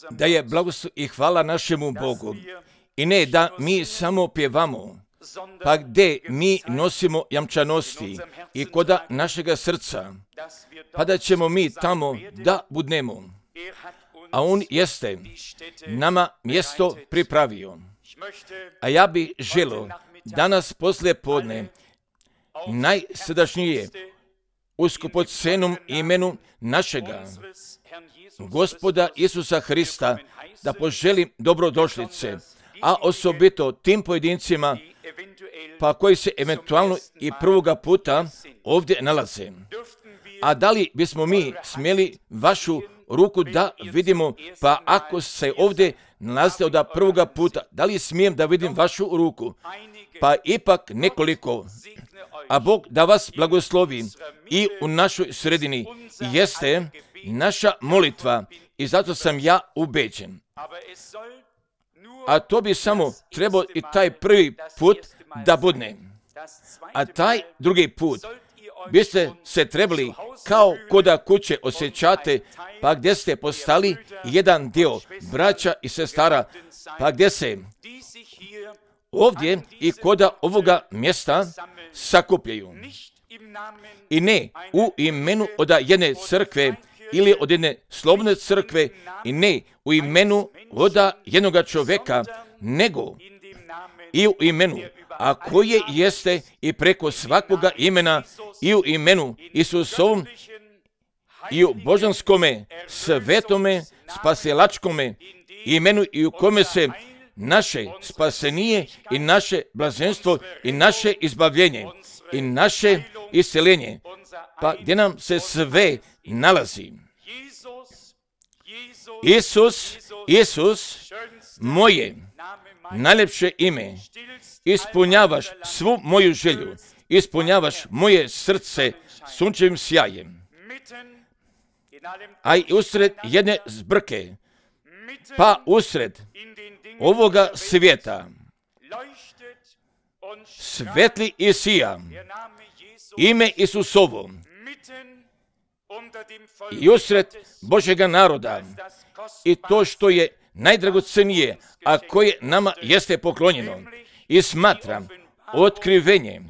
Da je blagoslov i hvala našemu Bogu. I ne da mi samo pjevamo, pa gdje mi nosimo jamčanosti i koda našega srca, pa da ćemo mi tamo da budnemo. A on jeste nama mjesto pripravio. A ja bi želio danas poslije podne najsrdačnije u skupocenom imenu našega Gospoda Isusa Hrista da poželim dobrodošlice, a osobito tim pojedincima pa koji se eventualno i prvoga puta ovdje nalaze. A da li bismo mi smjeli vašu ruku da vidimo, pa ako se ovdje nalazite od prvoga puta, da li smijem da vidim vašu ruku? Pa ipak nekoliko. A Bog da vas blagoslovi i u našoj sredini jeste naša molitva i zato sam ja ubeđen. A to bi samo trebao i taj prvi put da budne. A taj drugi put biste se trebali kao koda kuće osjećate, pa gdje ste postali jedan dio braća i sestara, pa gdje se ovdje i koda ovoga mjesta sakupljaju. I ne u imenu od jedne crkve ili od jedne slobodne crkve i ne u imenu od jednoga čovjeka, nego i u imenu, a koje jeste i preko svakoga imena i u imenu Isusovom i u božanskome, svetome, spasilačkome imenu i u kome se naše spasenije i naše blaženstvo i naše izbavljenje i naše isceljenje, pa gdje nam se sve nalazi. Isus, moje najljepše ime, ispunjavaš svu moju želju, ispunjavaš moje srce sunčevim sjajem, a i usred jedne zbrke, pa usred ovoga svijeta, svetli i sija, ime Isusovo, i usred Božjega naroda, i to što je najdragocenije, a koje nama jeste poklonjeno, i smatram otkrivenje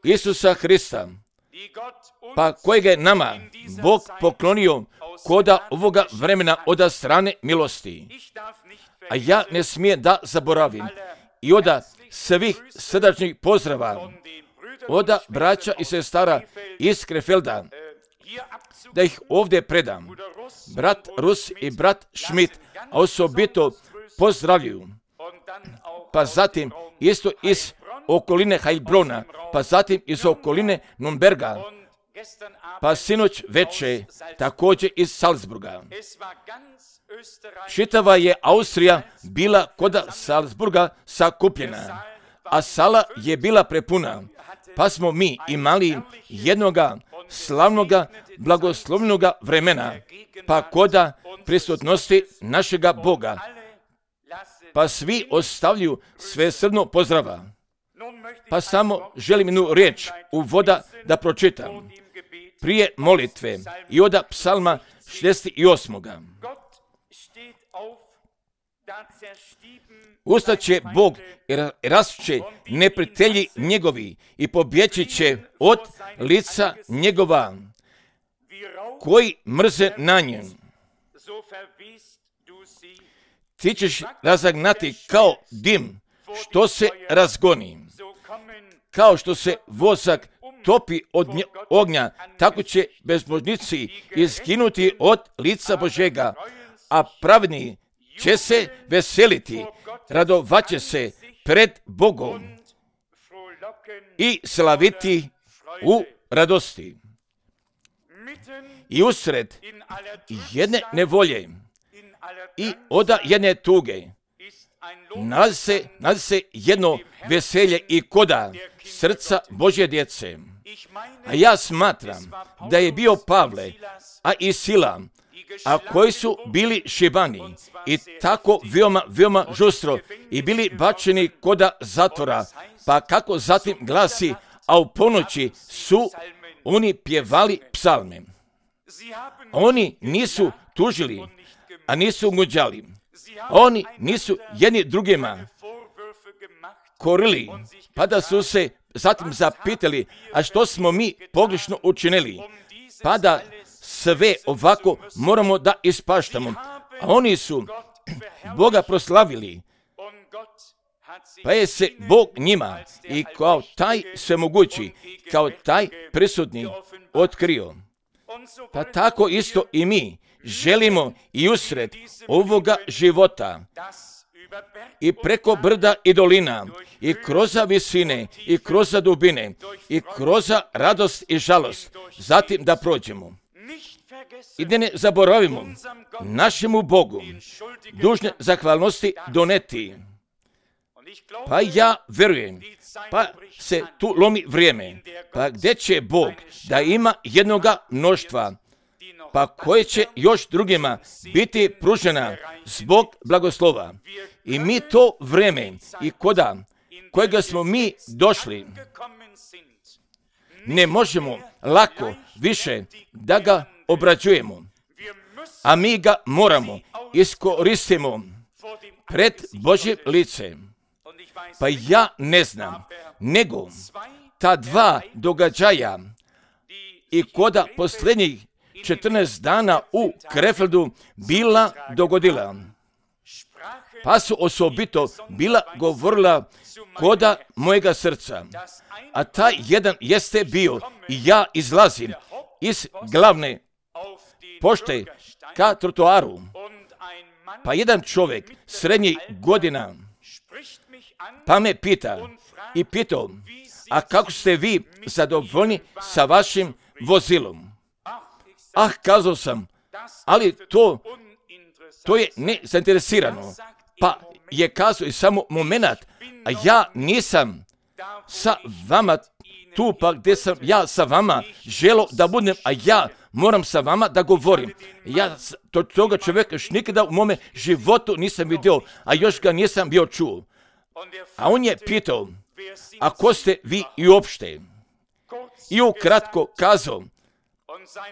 Isusa Hrista, pa kojega je nama Bog poklonio koda ovoga vremena od strane milosti. A ja ne smijem da zaboravim i od svih srdačnih pozdrava od braća i sestara iz Krefelda, da ih ovdje predam. Brat Rus i brat Schmidt, a osobito pozdravljuju. Pa zatim isto iz okoline Heilbrona, pa zatim iz okoline Nürnberga, pa sinoć veče također iz Salzburga. Čitava je Austrija bila koda Salzburga sakupljena, a sala je bila prepuna, pa smo mi imali jednoga slavnoga, blagoslovnoga vremena, pa koda prisutnosti našega Boga, pa svi ostavljaju svesrdno pozdrava. Pa samo želim jednu riječ uvoda da pročitam. Prije molitve i od psalma 68. Ustaće Bog i rašće neprijatelji njegovi i pobjeći će od lica njegova koji mrze na njem. Ti ćeš razagnati kao dim što se razgoni. Kao što se vosak topi od ognja, tako će bezbožnici izginuti od lica Božega, a pravedni će se veseliti, radovaće se pred Bogom i slaviti u radosti. I usred jedne nevolje i od jedne tuge nalazi se jedno veselje i koda srca Božje djece. A ja smatram da je bio Pavle, a i Sila, a koji su bili šibani i tako veoma žustro i bili bačeni koda zatvora, pa kako zatim glasi, a u ponoći su oni pjevali psalme. Oni nisu tužili, a nisu gunđali. Oni nisu jedni drugima korili, pa da su se zatim zapitali, a što smo mi pogrešno učinili, pa da sve ovako moramo da ispaštamo. A oni su Boga proslavili, pa je se Bog njima i kao taj svemogući, kao taj prisutni otkrio. Pa tako isto i mi želimo i usred ovoga života i preko brda i dolina i kroz visine i kroz dubine i kroz radost i žalost zatim da prođemo. I da ne zaboravimo našemu Bogu dužne zahvalnosti doneti. Pa ja verujem, pa se tu lomi vrijeme, pa gdje će Bog da ima jednoga mnoštva, pa koje će još drugima biti pružena zbog blagoslova. I mi to vrijeme i koda kojega smo mi došli, ne možemo lako više da ga obrađujemo, a mi ga moramo iskoristimo pred Božje lice. Pa ja ne znam, nego ta dva događaja i koda posljednjih 14 dana u Krefeldu bila dogodila, pa su osobito bila govorila koda mojega srca. A taj jedan jeste bio i ja izlazim iz glavne pošte ka trotoaru, pa jedan čovjek srednjih godina pa me pita i pitao, a kako ste vi zadovoljni sa vašim vozilom? Ah, kazao sam, ali to je nezainteresirano. Pa je kazao i samo moment, a ja nisam sa vama tu, pa gdje sam ja sa vama želio da budem, a ja moram sa vama da govorim. Ja toga čovjeka još nikada u mome životu nisam vidio, a još ga nisam bio čuo. A on je pitao, a ko ste vi i uopšte? I ukratko kazao,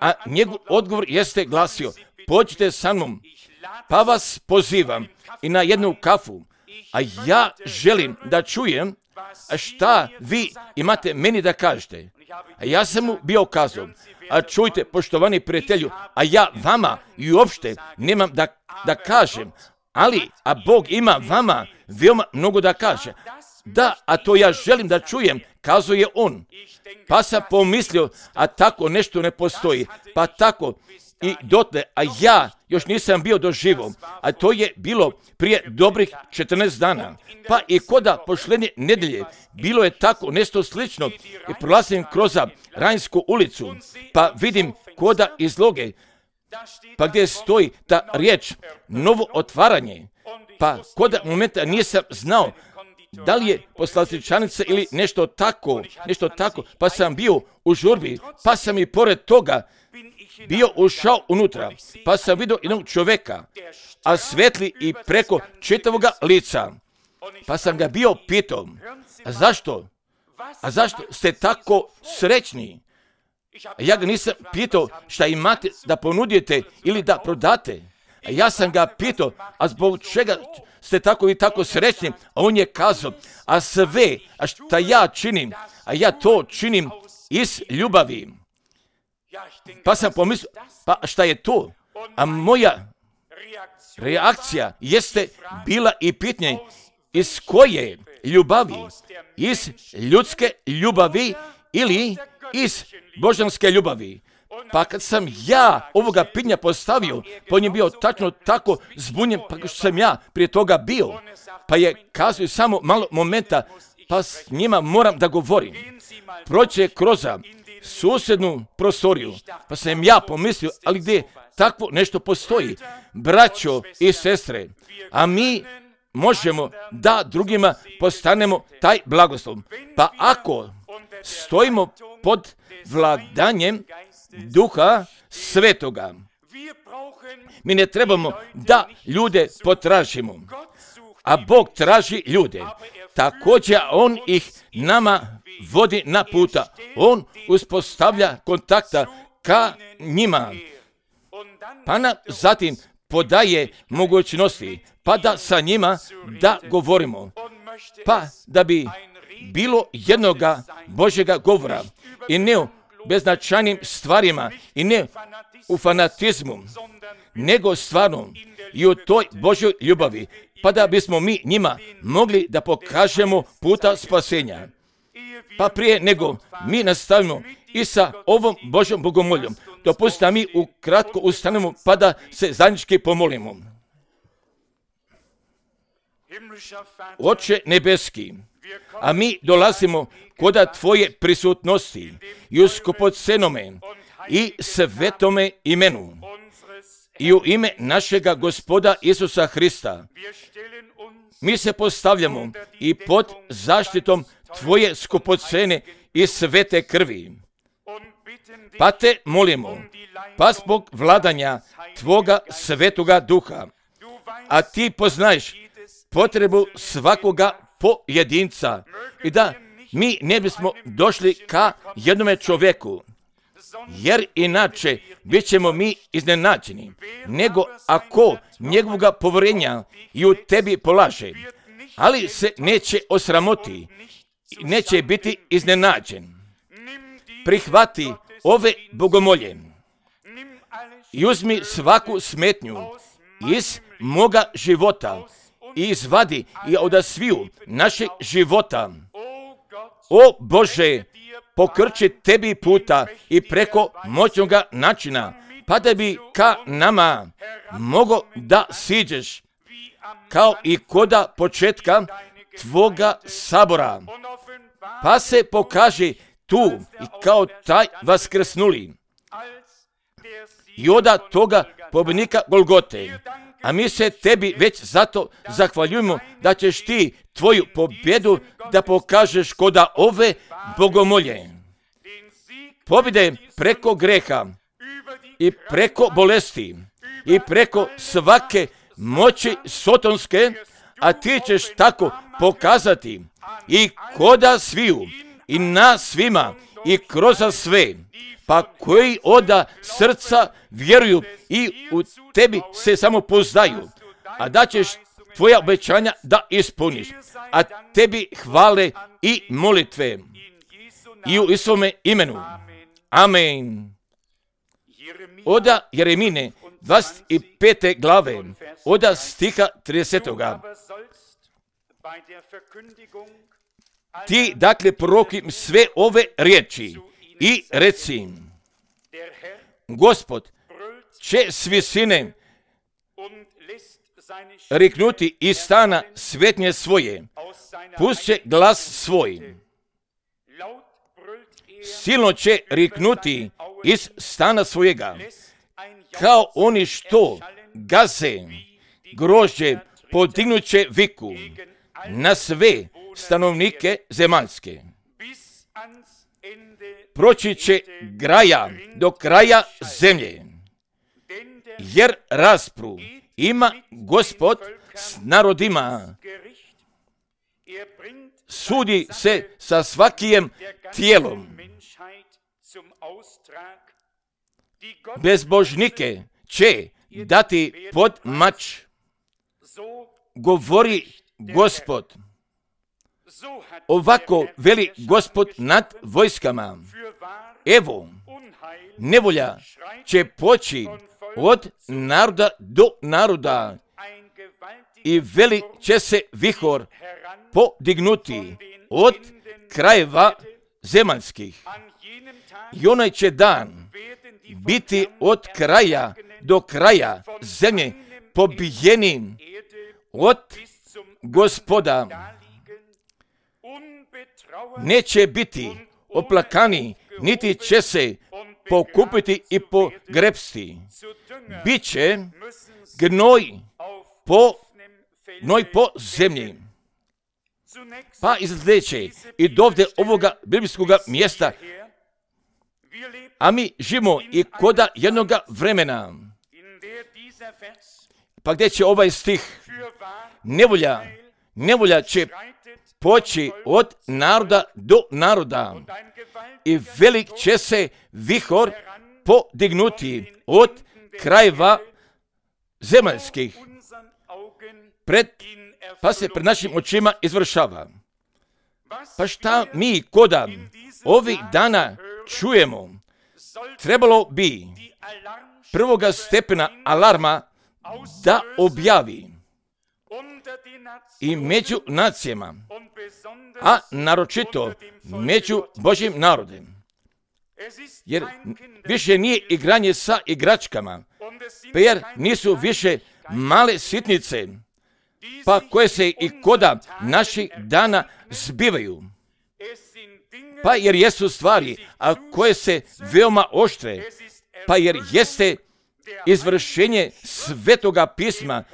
a njegov odgovor jeste glasio, pođite sa mnom, pa vas pozivam i na jednu kafu, a ja želim da čujem šta vi imate meni da kažete. A ja sam mu bio kazao, a čujte, poštovani prijatelju, a ja vama i uopšte nemam da kažem, ali, a Bog ima vama veoma mnogo da kaže. Da, a to ja želim da čujem, kazao je on. Pa sam pomislio, a tako nešto ne postoji, pa tako i dotle, a ja još nisam bio doživo, a to je bilo prije dobrih 14 dana. Pa i koda posljednje nedelje, bilo je tako nešto slično i prolazim kroz Rajnsku ulicu, pa vidim koda izloge, pa gdje stoji ta riječ novo otvaranje, pa koda momenta nisam znao da li je poslastičanica ili nešto tako, pa sam bio u žurbi, pa sam i pored toga bio ušao unutra, pa sam vidio jednog čovjeka, a svetli i preko čitavoga lica, pa sam ga bio pitao, a zašto ste tako srećni? Ja ga nisam pitao šta imate da ponudite ili da prodate. A ja sam ga pitao, a zbog čega ste tako i tako srećni? A on je kazao, a sve, a šta ja činim, a ja to činim iz ljubavi. Pa sam pomislio, pa šta je to? A moja reakcija jeste bila i pitanje, iz koje ljubavi? Iz ljudske ljubavi ili iz božanske ljubavi? Pa kad sam ja ovoga pitanja postavio, pa on je bio tačno tako zbunjen, pa što sam ja prije toga bio. Pa je kazao samo malo momenta, pa s njima moram da govorim. Prođe kroz susjednu prostoriju, pa sam ja pomislio, ali gdje takvo nešto postoji? Braćo i sestre, a mi možemo da drugima postanemo taj blagoslov. Pa ako stojimo pod vladanjem Duha Svetoga, mi ne trebamo da ljude potražimo, a Bog traži ljude. Također on ih nama vodi na puta. On uspostavlja kontakta ka njima, pa nam zatim podaje mogućnosti, pa da sa njima da govorimo, pa da bi bilo jednoga Božjega govora i ne u beznačajnim stvarima i ne u fanatizmu, nego stvarno i u toj Božjoj ljubavi, pa da bismo mi njima mogli da pokažemo puta spasenja. Pa prije nego mi nastavimo i sa ovom Božjom bogomoljom, dopustite da mi ukratko ustanemo pa da se zajednički pomolimo. Oče nebeski, a mi dolazimo koda Tvoje prisutnosti i u skupocenome i svetome imenu i u ime našega Gospoda Isusa Hrista. Mi se postavljamo i pod zaštitom Tvoje skupocene i svete krvi. Pa te molimo, pa zbog vladanja Tvoga svetoga duha, a Ti poznaješ potrebu svakoga pojedinca i da mi ne bismo došli ka jednome čovjeku, jer inače bit ćemo mi iznenađeni, nego ako njegovoga povjerenja i u Tebi polaže, ali se neće osramoti, neće biti iznenađen. Prihvati ove bogomolje i uzmi svaku smetnju iz moga života i izvadi i od sviju našeg života. O Bože, pokrči Tebi puta i preko moćnoga načina, pa da bi ka nama mogo da siđeš, kao i koda početka Tvoga sabora, pa se pokaži tu i kao taj vaskrsnuli i oda toga pobjednika Golgote. A mi se Tebi već zato zahvaljujemo da ćeš Ti Tvoju pobjedu da pokažeš koda ove bogomolje. Pobjede preko greha i preko bolesti i preko svake moći sotonske, a Ti ćeš tako pokazati i koda sviju i nas svima i kroz sve, pa koji oda srca vjeruju i u Tebi se samo poznaju, a da ćeš Tvoja obećanja da ispuniš, a Tebi hvale i molitve i u Isovome imenu. Amen. Oda Jeremine 25. glave, oda stiha 30. Ti, dakle, proroki sve ove riječi i reci, Gospod će s visine riknuti iz stana svetnje svoje, pust će glas svoj. Silno će riknuti iz stana svojega, kao oni što gaze grožđe, podignut će viku na sve stanovnike zemaljske. Proći će graja do kraja zemlje, jer raspru ima Gospod s narodima. Sudi se sa svakijem tijelom. Bezbožnike će dati pod mač, govori Gospod. Ovako veli Gospod nad vojskama. Evo, nevolja će poći od naroda do naroda i velik će se vihor podignuti od krajeva zemaljskih. I onaj će dan biti od kraja do kraja zemlje pobijeni od Gospoda. Neće biti oplakani, niti će se pokupiti i pogrebsti. Biće gnoj po zemlji. Pa izgledeće i dovde ovoga biblijskog mjesta, a mi živimo i koda jednoga vremena. Pa gdje će ovaj stih? Nevolja će poći od naroda do naroda i velik će se vihor podignuti od krajeva zemaljskih, pa se pred našim očima izvršava. Pa šta mi koda ovih dana čujemo, trebalo bi prvoga stepena alarma da objavi i među nacijama, a naročito među Božjim narodem. Jer više nije igranje sa igračkama, pa jer nisu više male sitnice, pa koje se i koda naših dana zbivaju. Pa jer jesu stvari, a koje se veoma oštre, pa jer jeste izvršenje Svetoga pisma,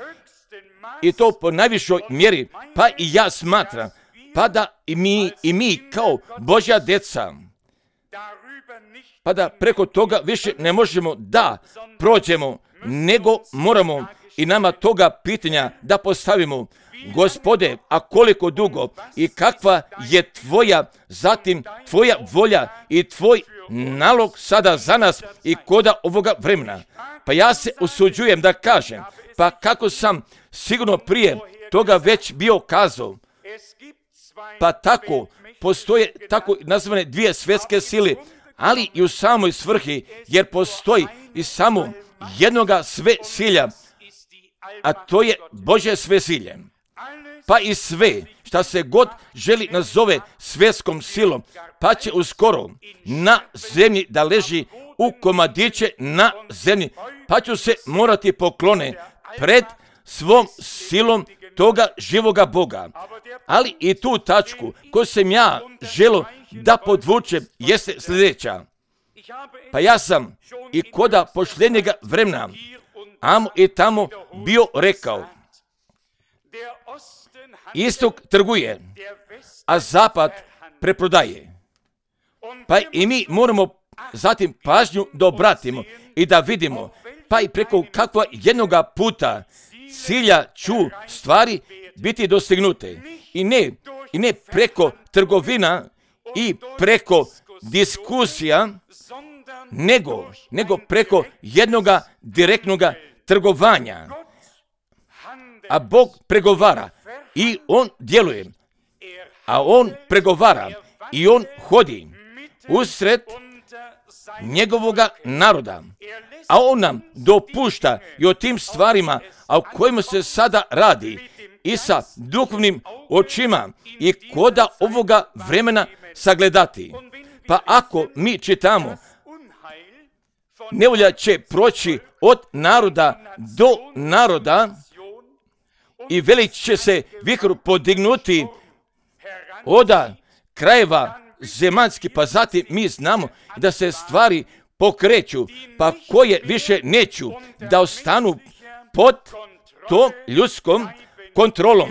i to po najvišoj mjeri, pa i ja smatram, pa da i mi kao Božja djeca, pa da preko toga više ne možemo da prođemo, nego moramo i nama toga pitanja da postavimo. Gospode, a koliko dugo i kakva je zatim tvoja volja i tvoj nalog sada za nas i koda ovoga vremena? Pa ja se usuđujem da kažem, pa kako sam sigurno prije toga već bio kazao, pa tako postoje tako nazvane dvije svjetske sile, ali i u samoj svrhi, jer postoji i samo jednoga sve silja, a to je Božje sve silje. Pa i sve šta se god želi nazove svjetskom silom, pa će uskoro na zemlji da leži u komadiće na zemlji, pa ću se morati poklone pred svom silom toga živoga Boga. Ali i tu tačku koju sam ja želio da podvučem jeste sljedeća. Pa ja sam i koda posljednjega vremena amo i tamo bio rekao, istok trguje, a zapad preprodaje. Pa i mi moramo zatim pažnju da obratimo i da vidimo, pa i preko kakva jednoga puta cilja ću stvari biti dostignute. I ne preko trgovina i preko diskusija, nego preko jednoga direktnoga trgovanja. A Bog pregovara i On djeluje, a On pregovara i On hodi usred njegovoga naroda. A On nam dopušta i o tim stvarima, a o kojima se sada radi, i sa duhovnim očima i koda ovoga vremena sagledati. Pa ako mi čitamo, nevolja će proći od naroda do naroda i velik će se vihor podignuti od krajeva zemaljski, pa zatim mi znamo da se stvari pokreću, pa koje više neću da ostanu pod tom ljudskom kontrolom.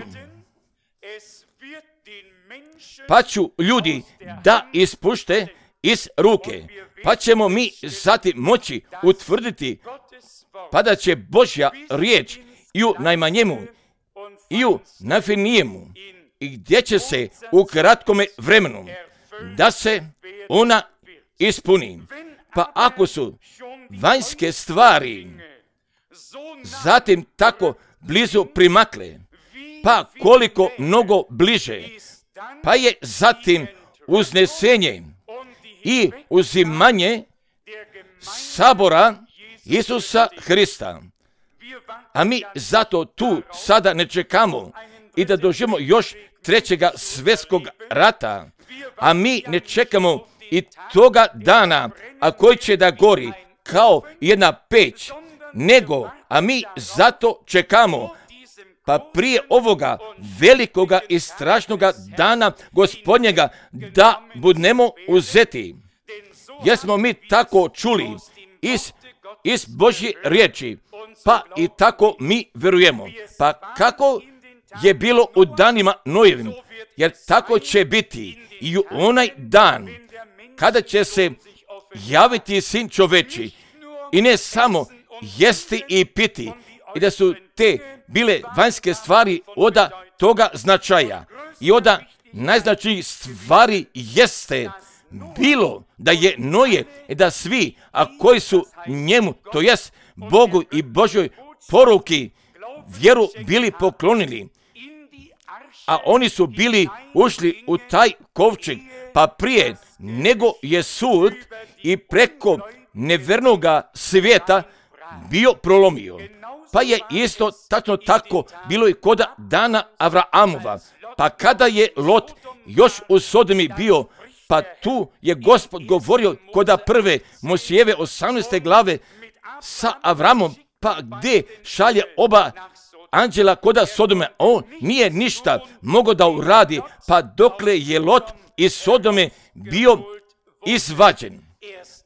Pa ću ljudi da ispušte iz ruke, pa ćemo mi zatim moći utvrditi, pa da će Božja riječ i u najmanjemu i u najfinijemu, i gdje će se u kratkome vremenu da se ona ispuni. Pa ako su vanjske stvari zatim tako blizu primakle, pa koliko mnogo bliže, pa je zatim uznesenje i uzimanje sabora Isusa Hrista. A mi zato tu sada ne čekamo i da doživimo još trećega svjetskog rata, a mi ne čekamo i toga dana, a koji će da gori kao jedna peć, a mi zato čekamo, pa prije ovoga velikoga i strašnoga dana Gospodnjega da budemo uzeti. Jer smo mi tako čuli iz Božje riječi, pa i tako mi verujemo. Pa kako je bilo u danima Nojevim, jer tako će biti i u onaj dan kada će se javiti Sin čoveči, i ne samo jesti i piti, i da su te bile vanjske stvari od toga značaja. I od najznačajnijih stvari jeste bilo da je Noje i da svi, a koji su njemu, to jest Bogu i Božoj poruki, vjeru bili poklonili, a oni su bili ušli u taj kovčeg, pa prije nego je sud i preko nevernoga svijeta bio prolomio. Pa je isto tačno tako bilo i kod dana Avraamova. Pa kada je Lot još u Sodomi bio, pa tu je Gospod govorio kod prve Mojsijeve 18. glave sa Avramom, pa gdje šalje oba anđela kod Sodome, on nije ništa mogao da uradi, pa dokle je Lot iz Sodome bio izvađen.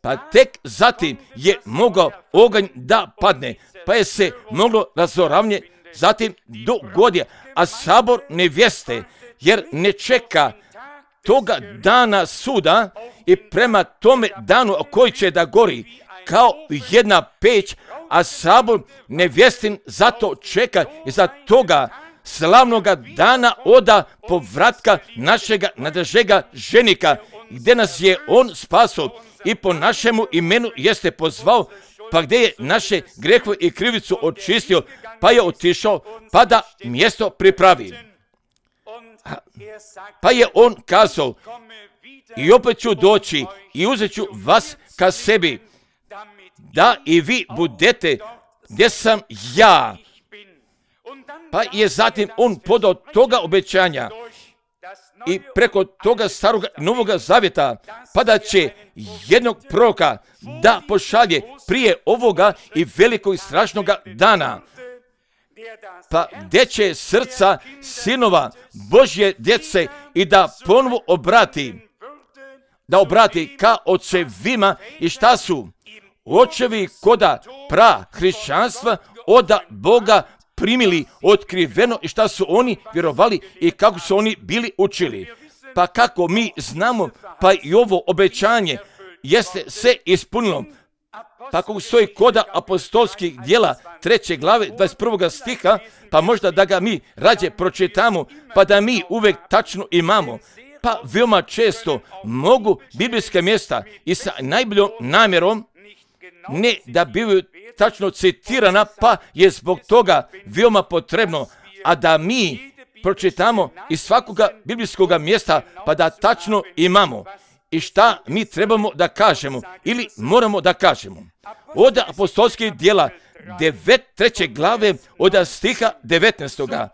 Pa tek zatim je mogao oganj da padne, pa je se moglo razoravnje zatim dogoditi, a sabor nevjeste, jer ne čeka toga dana suda i prema tome danu koji će da gori kao jedna peć, a sabor nevjestin zato čeka i za toga slavnoga dana oda povratka našega nadražega ženika, gdje nas je on spaso i po našemu imenu jeste pozvao, pa gdje je naše grehove i krivicu očistio, pa je otišao, pa da mjesto pripravi. Pa je on kazao, i opet ću doći i uzet ću vas ka sebi, da i vi budete gdje sam ja. Pa je zatim on podao toga obećanja i preko toga starog novoga zavjeta, pa da će jednog proroka da pošalje prije ovoga i velikog i strašnoga dana. Pa gdje će srca sinova Božje djece i da ponovo obrati ka očevima i šta su očevi koda hrišćanstva oda Boga primili otkriveno i šta su oni vjerovali i kako su oni bili učili. Pa kako mi znamo, pa i ovo obećanje jeste se ispunilo. Pa kako stoji koda apostolskih djela 3. glave 21. stiha, pa možda da ga mi rađe pročitamo, pa da mi uvek tačno imamo. Pa veoma često mogu biblijska mjesta i sa najboljom namjerom ne da bivaju tačno citirana, pa je zbog toga veoma potrebno, a da mi pročitamo iz svakoga biblijskoga mjesta, pa da tačno imamo i šta mi trebamo da kažemo ili moramo da kažemo. Od apostolskih djela 3. glave od stiha 19.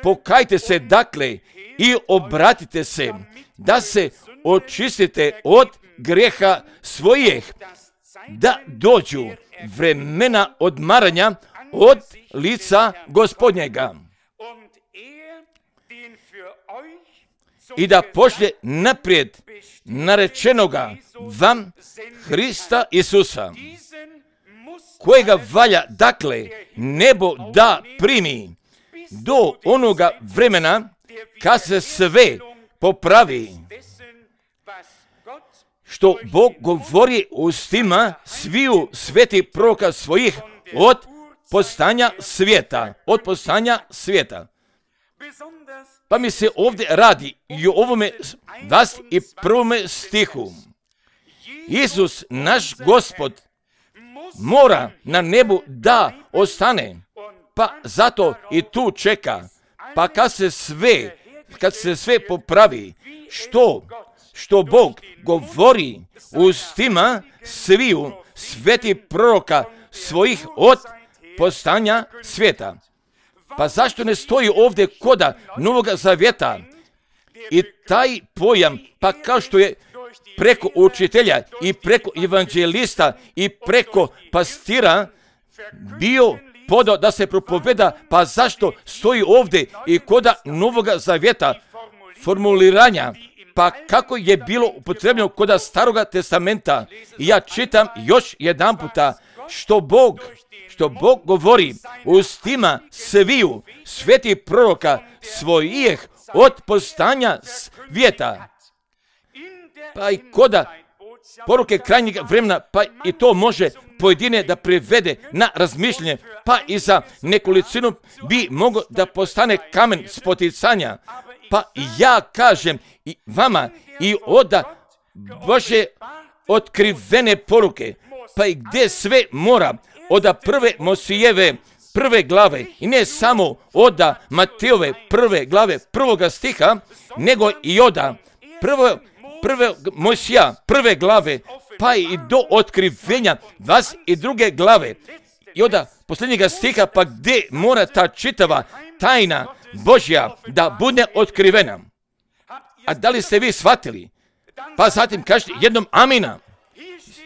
Pokajte se dakle i obratite se, da se očistite od greha svojih, da dođu vremena odmaranja od lica Gospodnjega i da pošlje naprijed narečenoga vam Hrista Isusa, kojega valja dakle nebo da primi do onoga vremena kad se sve popravi, što Bog govori ustima sviju svetih proroka svojih od postanja svijeta. Pa mi se ovdje radi i o ovome 21. stihu. Isus, naš Gospod, mora na nebu da ostane, pa zato i tu čeka. Pa kad se sve popravi, što Bog govori ustima sviju svetih proroka svojih od postanja svijeta. Pa zašto ne stoji ovdje koda Novoga zavjeta i taj pojam, pa kao što je preko učitelja i preko evanđelista i preko pastira bio podao da se propoveda, pa zašto stoji ovdje i koda Novoga zavjeta formuliranja, pa kako je bilo upotrebljeno koda Staroga testamenta. I ja čitam još jedan puta što Bog govori ustima sviju svetih proroka svojih od postanja svijeta. Pa i koda poruke krajnjeg vremena, pa i to može pojedine da privede na razmišljanje, pa i za nekolicinu bi mogao da postane kamen spoticanja, Pa ja kažem i vama i oda Bože otkrivene poruke, pa i gdje sve mora, oda prve Mosijeve prve glave i ne samo oda Matejove prve glave prvoga stiha, nego i oda prve Mosija prve glave, pa i do otkrivenja 22. glave i oda posljednjega stiha, pa gdje mora ta čitava tajna Božja da bude otkrivena. A da li ste vi shvatili? Pa zatim kažete jednom amina.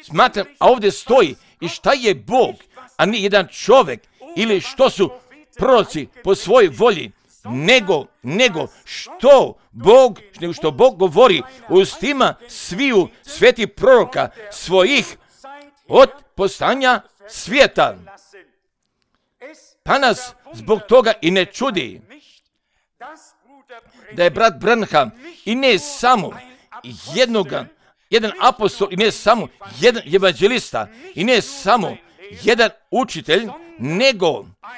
Smatram, a ovdje stoji i šta je Bog, a ni jedan čovjek ili što su proroci po svojoj volji, nego što Bog govori u ustima sviju svetih proroka svojih od postanja svijeta. Pa nas zbog toga i ne čudi da je brat Branham i ne samo jedan apostol i ne samo jedan evanđelista i ne samo jedan učitelj,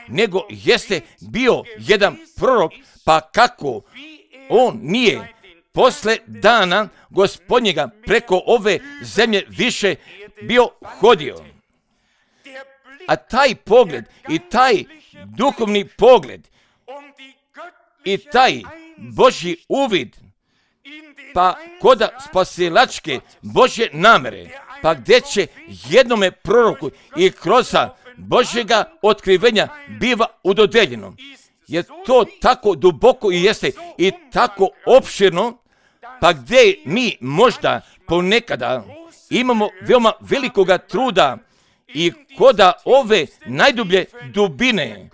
nego jeste bio jedan prorok, pa kako on nije posle dana Gospodnjega preko ove zemlje više bio hodio. A taj pogled i taj duhovni pogled i taj Božji uvid, pa koda spasilačke Božje namere, pa gdje će jednome proroku i kroz Božjega otkrivenja biva udodeljeno. Jer to tako duboko i jeste i tako opširno, pa gdje mi možda ponekada imamo veoma velikoga truda i koda ove najdublje dubine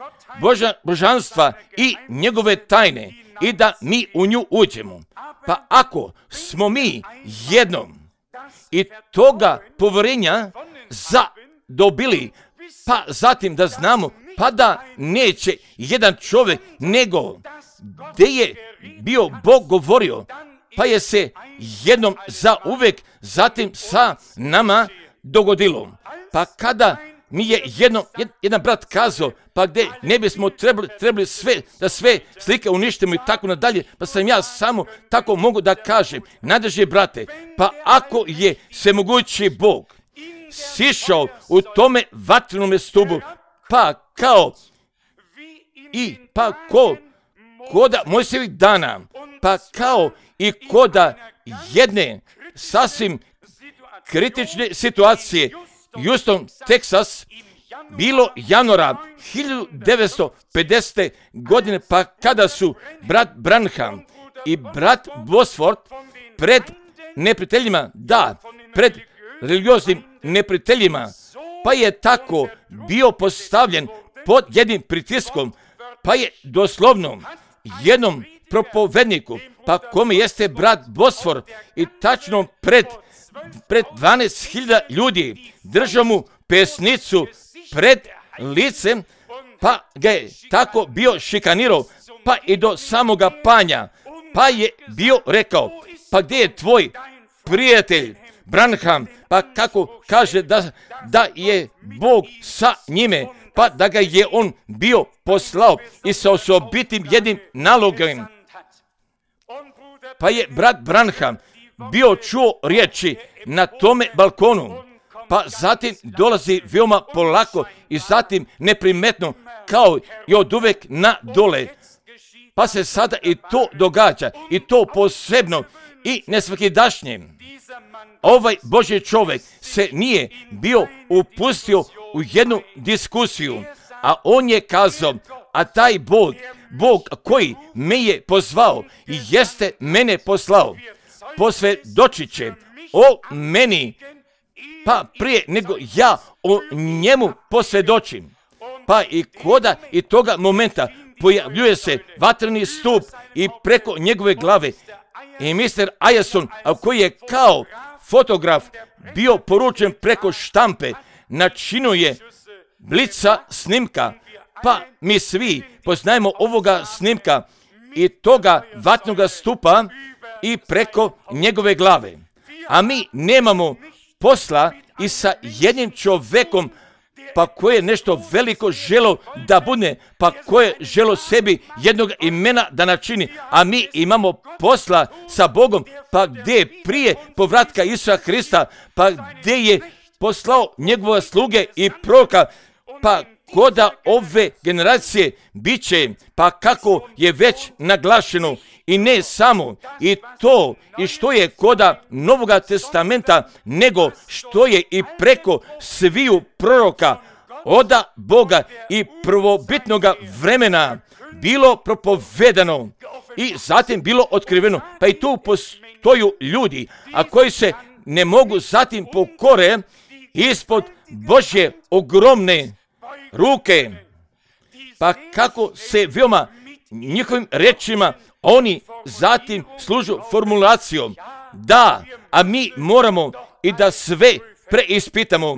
božanstva i njegove tajne i da mi u nju uđemo. Pa ako smo mi jednom i toga poverenja zadobili, pa zatim da znamo, pa da neće jedan čovjek, nego gdje je bio Bog govorio, pa je se jednom za uvijek zatim sa nama dogodilo. Pa kada mi je jedan brat kazao, pa gdje ne bismo trebali sve slike uništimo i tako nadalje, pa sam ja samo tako mogu da kažem, nadrži brate, pa ako je svemogući Bog sišao u tome vatrenome stubu, pa kao i pa koda Mojsijevih dana, pa kao i koda jedne sasvim kritične situacije, Houston, Texas, bilo januara 1950. godine, pa kada su brat Branham i brat Bosford pred neprijateljima, pred religioznim neprijateljima, pa je tako bio postavljen pod jednim pritiskom, pa je doslovno jednom propovedniku, pa kome jeste brat Bosford i tačno pred 12.000 ljudi držao mu pesnicu pred licem, pa ga je tako bio šikanirao, pa i do samoga panja, pa je bio rekao, pa gdje je tvoj prijatelj Branham, pa kako kaže da je Bog sa njime, pa da ga je on bio poslao i sa osobitim jednim nalogom. Pa je brat Branham bio čuo riječi na tome balkonu, pa zatim dolazi veoma polako i zatim neprimetno kao i od uvek na dole. Pa se sada i to događa i to posebno i nesvakidašnje. Ovaj Božji čovjek se nije bio upustio u jednu diskusiju, a on je kazao, a taj Bog koji me je pozvao i jeste mene poslao, posvjedočit će o meni, pa prije nego ja o njemu posvjedočim. Pa i koda i toga momenta pojavljuje se vatreni stup i preko njegove glave i Mr. Ayerson, koji je kao fotograf bio poručen preko štampe, načinuje blica snimka, pa mi svi poznajemo ovoga snimka i toga vatnoga stupa i preko njegove glave. A mi nemamo posla i sa jednim čovjekom pa ko je nešto veliko želo da bude, pa ko je želo sebi jednog imena da načini, a mi imamo posla sa Bogom, pa gdje je prije povratka Isusa Hrista, pa gdje je poslao njegove sluge i proroka, pa koda ove generacije bit će, pa kako je već naglašeno, i ne samo i to i što je koda Novoga testamenta, nego što je i preko sviju proroka oda Boga i prvobitnoga vremena bilo propovedano i zatim bilo otkriveno. Pa i tu postoju ljudi, a koji se ne mogu zatim pokore ispod Božje ogromne ruke. Pa kako se veoma njihovim rečima oni zatim služu formulacijom da, a mi moramo i da sve preispitamo.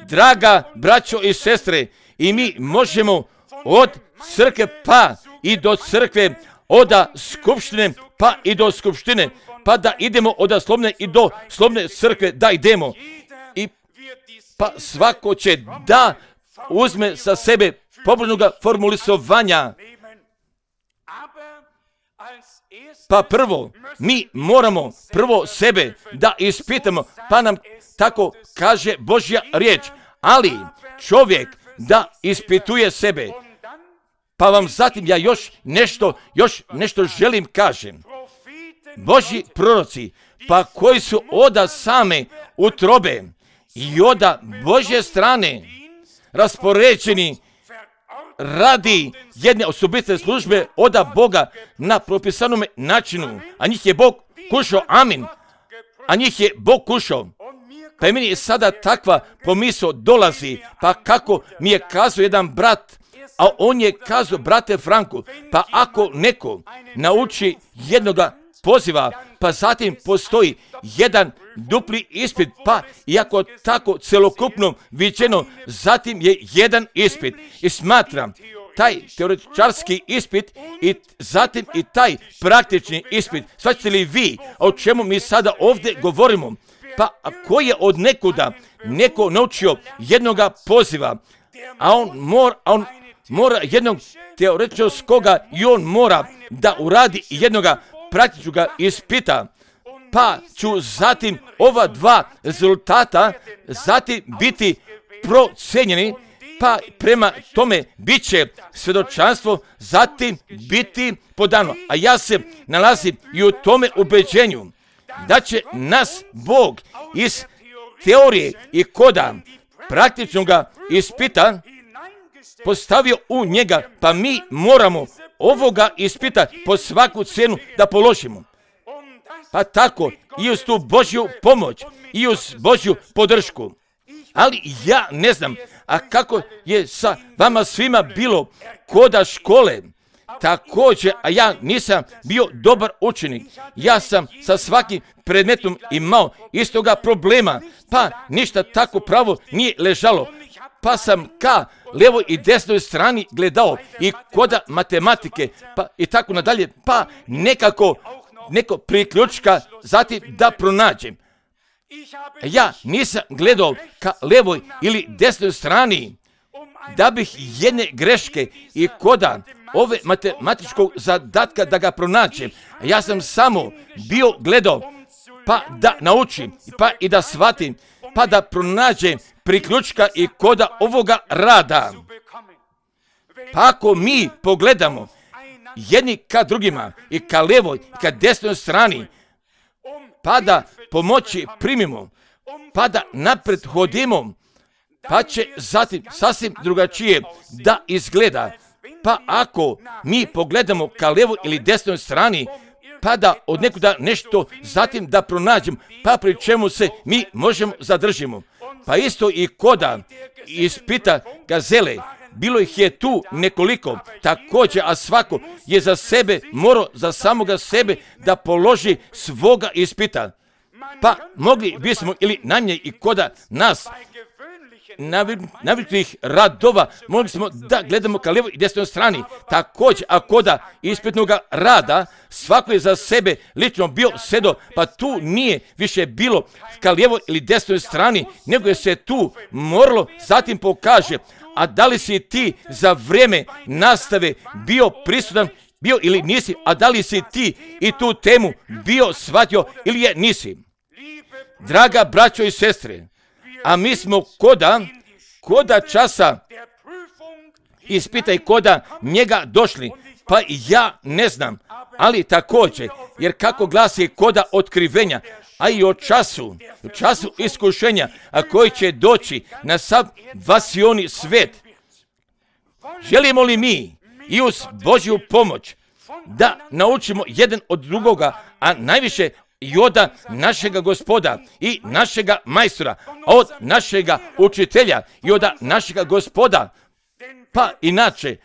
Draga braćo i sestre, i mi možemo od crkve pa i do crkve, od skupštine pa i do skupštine, pa da idemo od slovne i do slovne crkve da idemo. I pa svako će da uzme sa sebe pobožnoga formulisovanja. Pa prvo, mi moramo prvo sebe da ispitamo, pa nam tako kaže Božja riječ, ali čovjek da ispituje sebe. Pa vam zatim ja još nešto želim kažem. Božji proroci, pa koji su oda same utrobe i oda Božje strane raspoređeni radi jedne osobite službe oda Boga na propisanom načinu, a njih je Bog kušao, amin, a njih je Bog kušao. Pa meni je sada takva pomisao dolazi, pa kako mi je kazao jedan brat, a on je kazao, brate Franku, pa ako neko nauči jednoga poziva, pa zatim postoji jedan dupli ispit, pa iako tako celokupno viđeno, zatim je jedan ispit. I smatram taj teoretičarski ispit i zatim i taj praktični ispit. Shvaćate li vi o čemu mi sada ovdje govorimo? Pa ako je od nekuda neko naučio jednoga poziva, a on mora jednog teoretičkoga i on mora da uradi jednoga praktičnoga ispita, pa ću zatim ova dva rezultata zatim biti procenjeni, pa prema tome bit će svjedočanstvo zatim biti podano. A ja se nalazim i u tome ubeđenju da će nas Bog iz teorije i koda praktičnoga ispita postavio u njega, pa mi moramo ovoga ispita po svaku cijenu da položimo. Pa tako i uz tu Božju pomoć i uz Božju podršku. Ali ja ne znam, a kako je sa vama svima bilo koda škole, također, a ja nisam bio dobar učenik. Ja sam sa svakim predmetom imao istoga problema, pa ništa tako pravo nije ležalo. Pa sam ka levoj i desnoj strani gledao i koda matematike, pa i tako nadalje, pa neko priključka zatim da pronađem. Ja nisam gledao ka levoj ili desnoj strani da bih jedne greške i koda ove matematičkog zadatka da ga pronađem. Ja sam samo bio gledao pa da naučim, pa i da shvatim, pa da pronađem priključka i koda ovoga rada. Pa ako mi pogledamo jedni ka drugima i ka levoj i ka desnoj strani, pa da pomoći primimo, pa da napred hodimo, pa će zatim sasvim drugačije da izgleda. Pa ako mi pogledamo ka levoj ili desnoj strani, pa da od nekuda nešto zatim da pronađemo, pa pri čemu se mi možemo zadržimo. Pa isto i koda ispita gazele, bilo ih je tu nekoliko, također, a svako je za sebe morao, za samoga sebe da položi svoga ispita. Pa mogli bismo ili najmanje i koda nas naviknih radova mogli smo da gledamo ka lijevoj i desnoj strani. Također, ako da ispitnog rada, svako je za sebe lično bio sedo, pa tu nije više bilo ka lijevoj ili desnoj strani, nego je se tu moralo zatim pokaže. A da li si ti za vrijeme nastave bio prisutan, bio ili nisi, a da li si ti i tu temu bio shvatio ili je nisi. Draga braćo i sestre, a mi smo koda časa ispita i koda njega došli, pa ja ne znam, ali također, jer kako glasi koda otkrivenja, a i o času iskušenja, a koji će doći na sav vasioni svet. Želimo li mi i uz Božju pomoć da naučimo jedan od drugoga, a najviše i od našega Gospoda i našega majstora, od našega učitelja i od našega Gospoda, pa inače,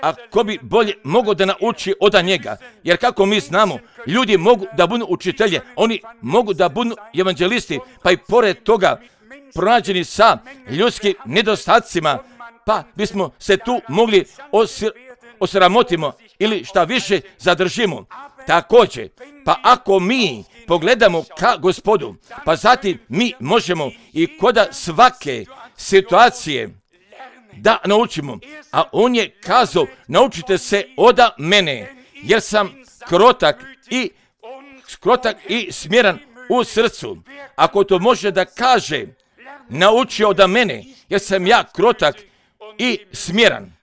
ako bi bolje mogao da nauči od njega, jer kako mi znamo, ljudi mogu da budu učitelje, oni mogu da budu evanđelisti, pa i pored toga pronađeni sa ljudskim nedostacima, pa bismo se tu mogli osramotimo ili šta više zadržimo. Također, pa ako mi pogledamo ka Gospodu, pa zatim mi možemo i koda svake situacije da naučimo, a on je kazao, naučite se od mene, jer sam krotak i smjeran u srcu. Ako to može da kaže, nauči od mene, jer sam ja krotak i smjeran.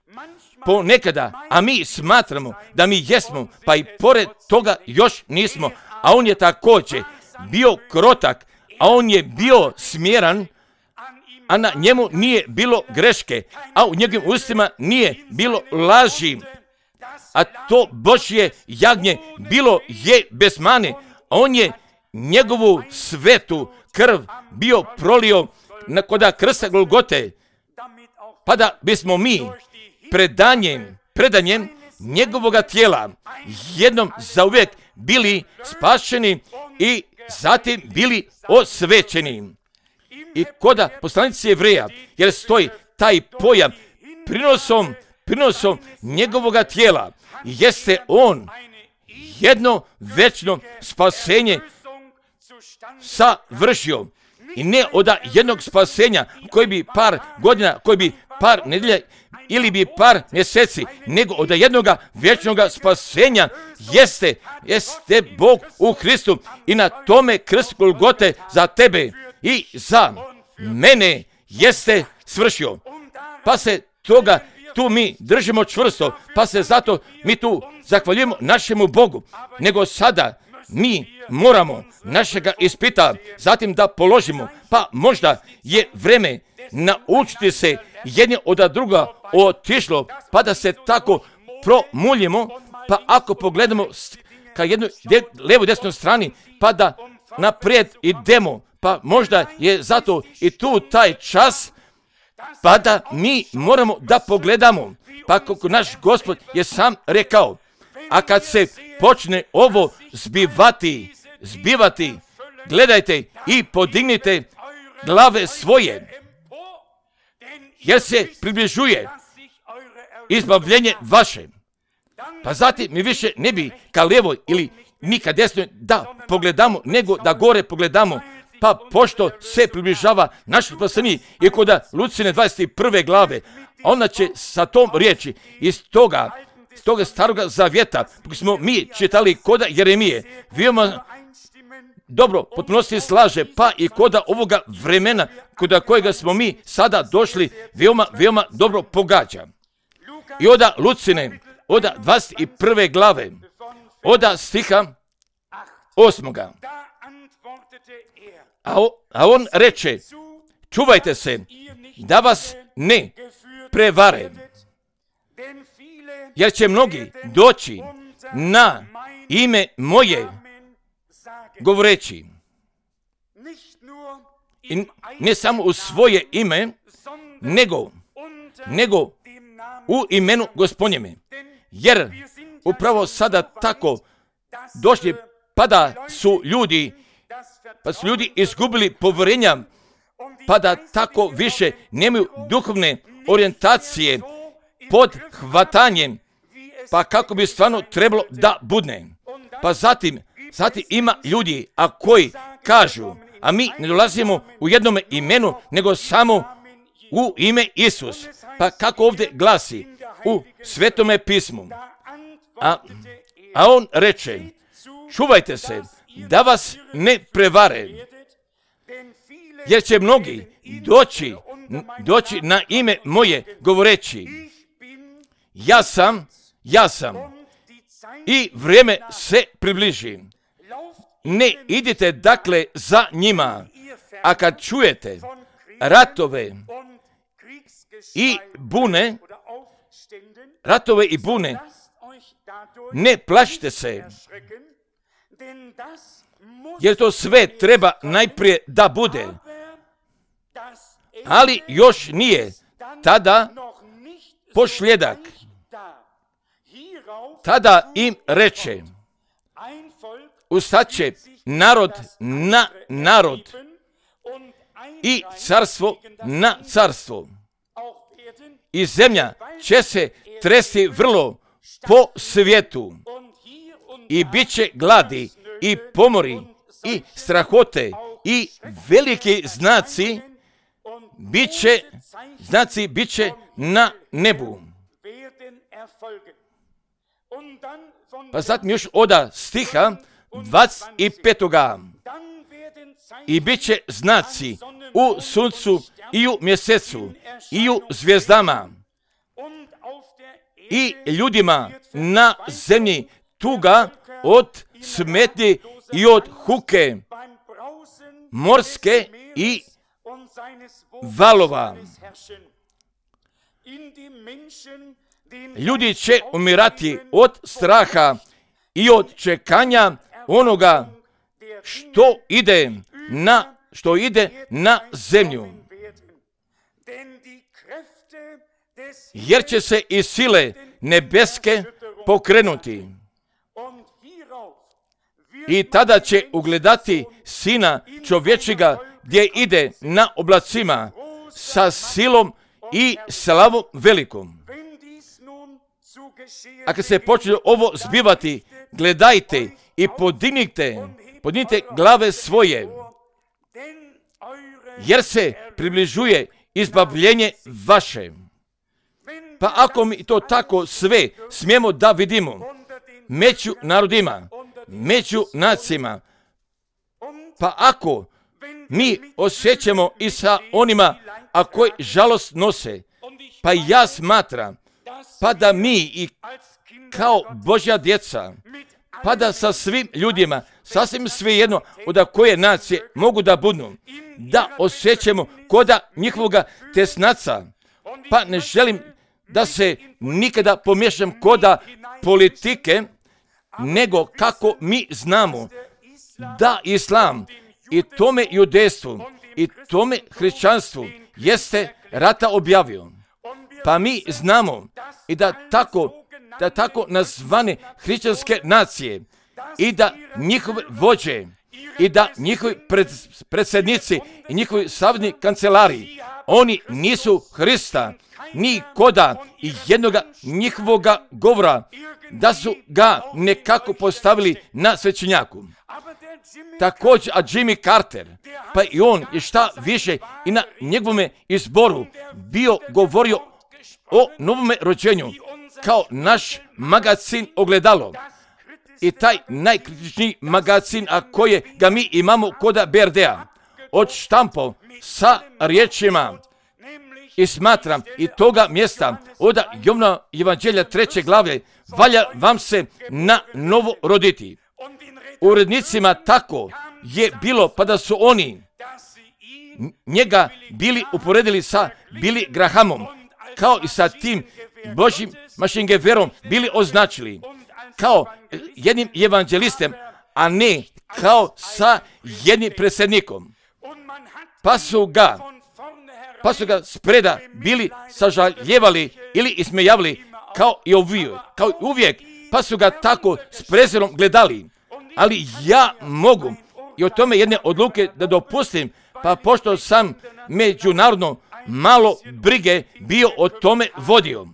Ponekada, a mi smatramo da mi jesmo, pa i pored toga još nismo, a on je također bio krotak, a on je bio smjeran, a na njemu nije bilo greške, a u njegovim ustima nije bilo laži. A to Božje jagnje bilo je bez mane, a on je njegovu svetu krv bio prolio koda krsta Golgote, pa da bismo mi predanjem njegovoga tijela jednom zauvijek bili spašeni i zatim bili osvećeni. I koda poslanici Jevreja, jer stoji taj pojam prinosom njegovoga tijela, jeste on jedno večno spasenje savršio. I ne od jednog spasenja koji bi par godina, koji bi par nedelja ili bi par mjeseci, nego od jednoga vječnog spasenja jeste Bog u Hristu i na tome krst Golgote za tebe i za mene jeste svršio. Pa se toga tu mi držimo čvrsto, pa se zato mi tu zahvaljujemo našemu Bogu, nego sada mi moramo našega ispita zatim da položimo, pa možda je vreme naučiti se jedni od druga otišlo, pa da se tako promuljimo, pa ako pogledamo ka jednoj levo desnoj strani, pa da naprijed idemo, pa možda je zato i tu taj čas, pa da mi moramo da pogledamo, pa kako naš Gospod je sam rekao, a kad se počne ovo zbivati, gledajte i podignite glave svoje, jer se približuje izbavljenje vaše. Pa zatim mi više ne bi ka lijevoj ili ni ka desnoj da pogledamo, nego da gore pogledamo, pa pošto se približava naš spasenje i kod Lucine 21. glave, ona će sa tom riječi iz toga staroga zavjeta, kako smo mi čitali koda Jeremije, veoma dobro potpunosti slaže, pa i koda ovoga vremena koda kojega smo mi sada došli, veoma dobro pogađa. I od Lucine, od 21. glave, od stiha 8. A on reče, čuvajte se da vas ne prevare, jer će mnogi doći na ime moje govoreći, i ne samo u svoje ime, nego u imenu Gospodnjeme. Jer upravo sada tako došli, pa su ljudi izgubili povjerenja pa da tako više nemaju duhovne orijentacije pod hvatanjem, pa kako bi stvarno trebalo da budne. Pa zatim ima ljudi, a koji kažu, a mi ne dolazimo u jednome imenu, nego samo u ime Isus. Pa kako ovdje glasi u Svetome pismu, a on reče, čuvajte se da vas ne prevare, jer će mnogi doći na ime moje govoreći, ja sam i vrijeme se približi. Ne idite dakle za njima, a kad čujete ratove i bune, ne plašite se, jer to sve treba najprije da bude, ali još nije tada pošljedak. Tada im reče, ustaće narod na narod i carstvo na carstvo. I zemlja će se tresti vrlo po svijetu i bit će gladi i pomori i strahote i veliki znaci bit će na nebu. Pa zatim još oda stiha 25. I bit će znaci u suncu i u mjesecu i u zvijezdama i ljudima na zemlji tuga od smetnje i od huke morske i valova. Ljudi će umirati od straha i od čekanja onoga što ide na zemlju. Jer će se i sile nebeske pokrenuti. I tada će ugledati Sina čovječega gdje ide na oblacima sa silom i slavom velikom. A kad se počne ovo zbivati, gledajte i podignite glave svoje, jer se približuje izbavljenje vaše. Pa ako mi to tako sve smijemo da vidimo među narodima, među nacijama, pa ako mi osjećamo i sa onima, a koji žalost nose, pa ja smatram, pa da mi i kao Božja djeca, pa da sa svim ljudima, sasvim svejedno od koje nacije mogu da budnu, da osjećamo koda njihovoga tesnaca, pa ne želim da se nikada pomiješam koda politike, nego kako mi znamo da Islam i tome judejstvu i tome hrišćanstvu jeste rata objavio. Pa mi znamo i da tako nazvane hrišćanske nacije i da njihove vođe i da njihovi predsjednici i njihovi savjetni kancelari, oni nisu Hrista, ni koda i jednoga njihovoga govora, da su ga nekako postavili na svećenjaku. Također, a Jimmy Carter, pa i on je šta više i na njegovome izboru bio govorio o novome rođenju kao naš magazin Ogledalo. I taj najkritičniji magazin, a koje ga mi imamo koda BRD-a, odštampao sa riječima i smatram i toga mjesta od Jovana Evanđelja 3. glave, valja vam se na novo roditi. Urednicima tako je bilo, pa da su oni njega bili uporedili sa Billy Grahamom, kao i sa tim Božjim mašingeverom bili označili kao jednim evanđelistem, a ne kao sa jednim predsjednikom. Pa su ga spreda bili sažaljevali ili ismejavali kao i uvijek, pa su ga tako s prezirom gledali. Ali ja mogu i o tome jedne odluke da dopustim, pa pošto sam međunarodno malo brige bio o tome vodio.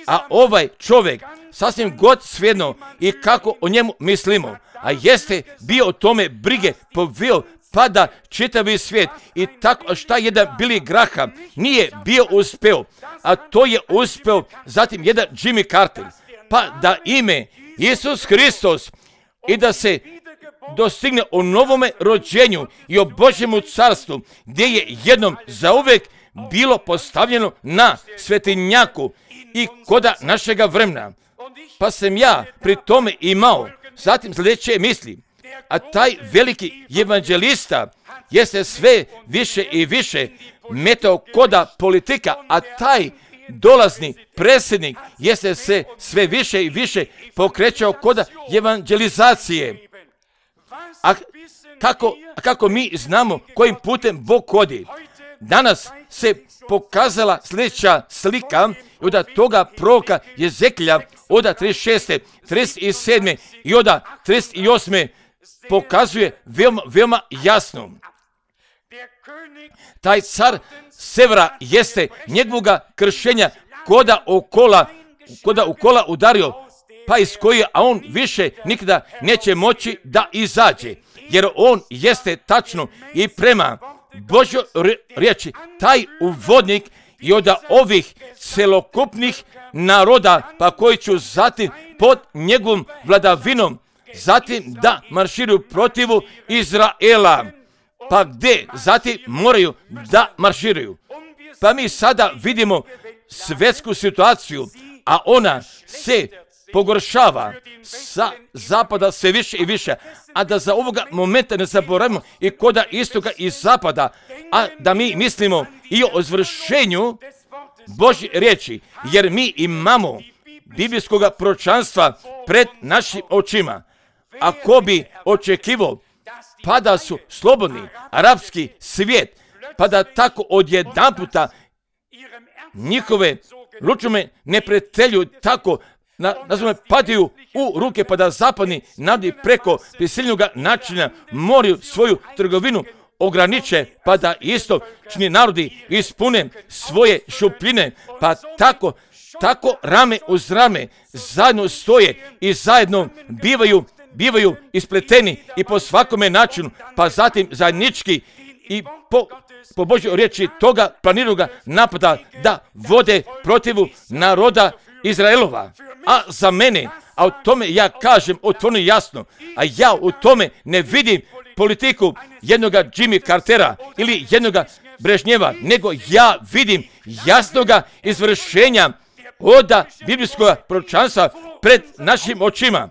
A ovaj čovjek, sasvim god svejedno i kako o njemu mislimo, a jeste bio o tome brige povio pada čitavi svijet i tako šta jedan Billy Graham nije bio uspeo, a to je uspeo zatim jedan Jimmy Carter, pa da ime Isus Hristos i da se dostigne o novome rođenju i o Božjemu carstvu, gdje je jednom zauvek bilo postavljeno na svetinjaku i koda našega vremena. Pa sam ja pri tome imao zatim sljedeće misli, a taj veliki evanđelista jeste sve više i više metao koda politika, a taj dolazni predsjednik jeste se sve više i više pokrećao koda evanđelizacije. A kako mi znamo kojim putem Bog hodi? Danas se pokazala sljedeća slika od toga proroka Jezekija od 36. 37. i od 38. pokazuje veoma jasno. Taj car severa jeste njegovoga kršenja koda u kola udario, pa iz koje, a on više nikada neće moći da izađe, jer on jeste tačno i prema Božjoj riječi taj uvodnik i od ovih celokupnih naroda, pa koji ću zatim pod njegovom vladavinom zatim da marširaju protivu Izraela, pa gdje zatim moraju da marširaju. Pa mi sada vidimo svjetsku situaciju, a ona se pogoršava sa zapada sve više i više, a da za ovoga momenta ne zaboravimo i koda istoga i zapada, a da mi mislimo i o izvršenju Božje riječi, jer mi imamo biblijskog proročanstva pred našim očima. Ako bi očekivao pa da su slobodni arapski svijet, pa da tako odjedanputa njihove lučume neprijatelju tako padaju u ruke, pa da zapadni narodi preko prisilnog načina moraju svoju trgovinu ograniče, pa da istočni narodi ispune svoje šupljine, pa tako rame uz rame zajedno stoje i zajedno bivaju ispleteni i po svakome načinu, pa zatim zajednički i po Božjoj riječi toga planiranog napada da vode protivu naroda Izraelova. A za mene, a o tome ja kažem otvoreno jasno, a ja u tome ne vidim politiku jednoga Jimmy Cartera ili jednoga Brežnjeva, nego ja vidim jasnoga izvršenja od biblijskog proročanstva pred našim očima.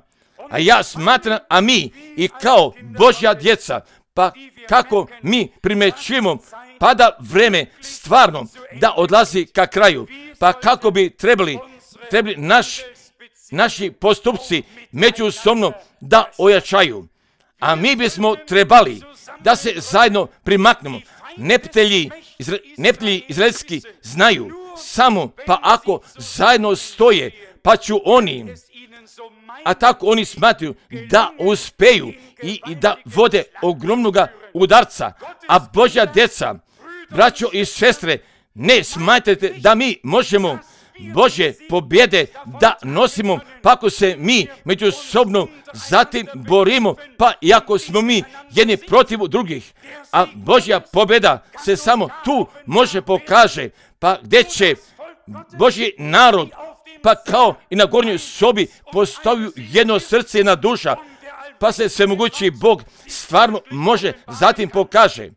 A ja smatram, a mi i kao Božja djeca, pa kako mi primećujemo pada vreme stvarno da odlazi ka kraju, pa kako bi trebali naši postupci međusobno da ojačaju. A mi bismo trebali da se zajedno primaknemo. Neprijatelji izraelski znaju samo pa ako zajedno stoje, pa ću oni, a tako oni smatruju da uspeju i da vode ogromnog udarca. A Božja djeca, braćo i sestre, ne smatrate da mi možemo Božje pobjede da nosimo, pa ako se mi međusobno zatim borimo, pa iako smo mi jedni protiv drugih, a Božja pobjeda se samo tu može pokaže, pa gdje će Božji narod, pa kao i na gornjoj sobi postavio jedno srce, jedna duša, pa se svemogući Bog stvarno može zatim pokaže.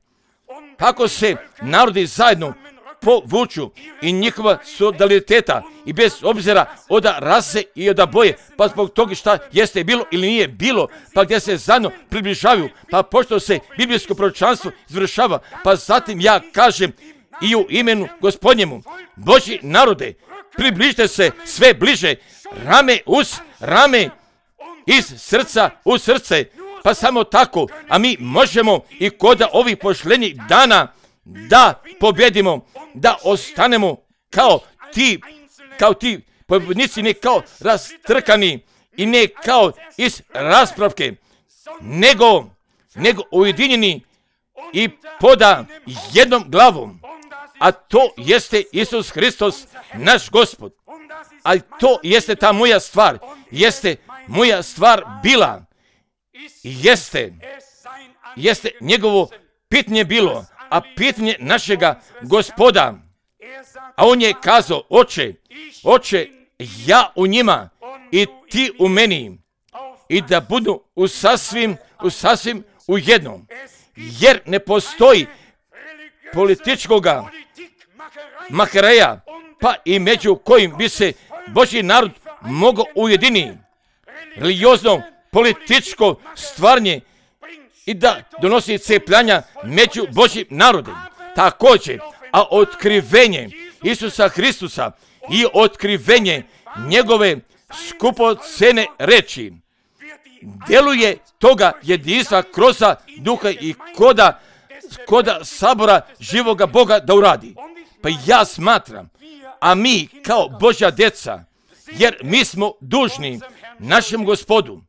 Kako se narodi zajedno povuču i njihova solidariteta i bez obzira od rase i od boje, pa zbog toga šta jeste bilo ili nije bilo, pa gdje se zajedno približavaju, pa pošto se biblijsko proročanstvo izvršava, pa zatim ja kažem i u imenu Gospodnjemu, Božji narode, približite se sve bliže, rame uz rame, iz srca u srce, pa samo tako, a mi možemo i kod ovih pošlenih dana da pobjedimo, da ostanemo kao ti pobjednici, ne kao rastrkani i ne kao iz raspravke, nego ujedinjeni i poda jednom glavom, a to jeste Isus Hristos, naš Gospod. A to jeste ta moja stvar, jeste moja stvar bila, jeste njegovo pitanje bilo, a pitanje našega Gospoda. A on je kazao, oče, ja u njima i ti u meni, i da budu u sasvim u jednom. Jer ne postoji političkoga makareja, pa i među kojim bi se Božji narod mogao ujediniti. Religiozno, političko stvaranje i da donosi cepljanja među Božjim narodom. Također, a otkrivenje Isusa Hristusa i otkrivenje njegove skupocene reči djeluje toga jedinstva kroz duha i koda sabora živoga Boga da uradi. Pa ja smatram, a mi kao Božja djeca, jer mi smo dužni našem Gospodu,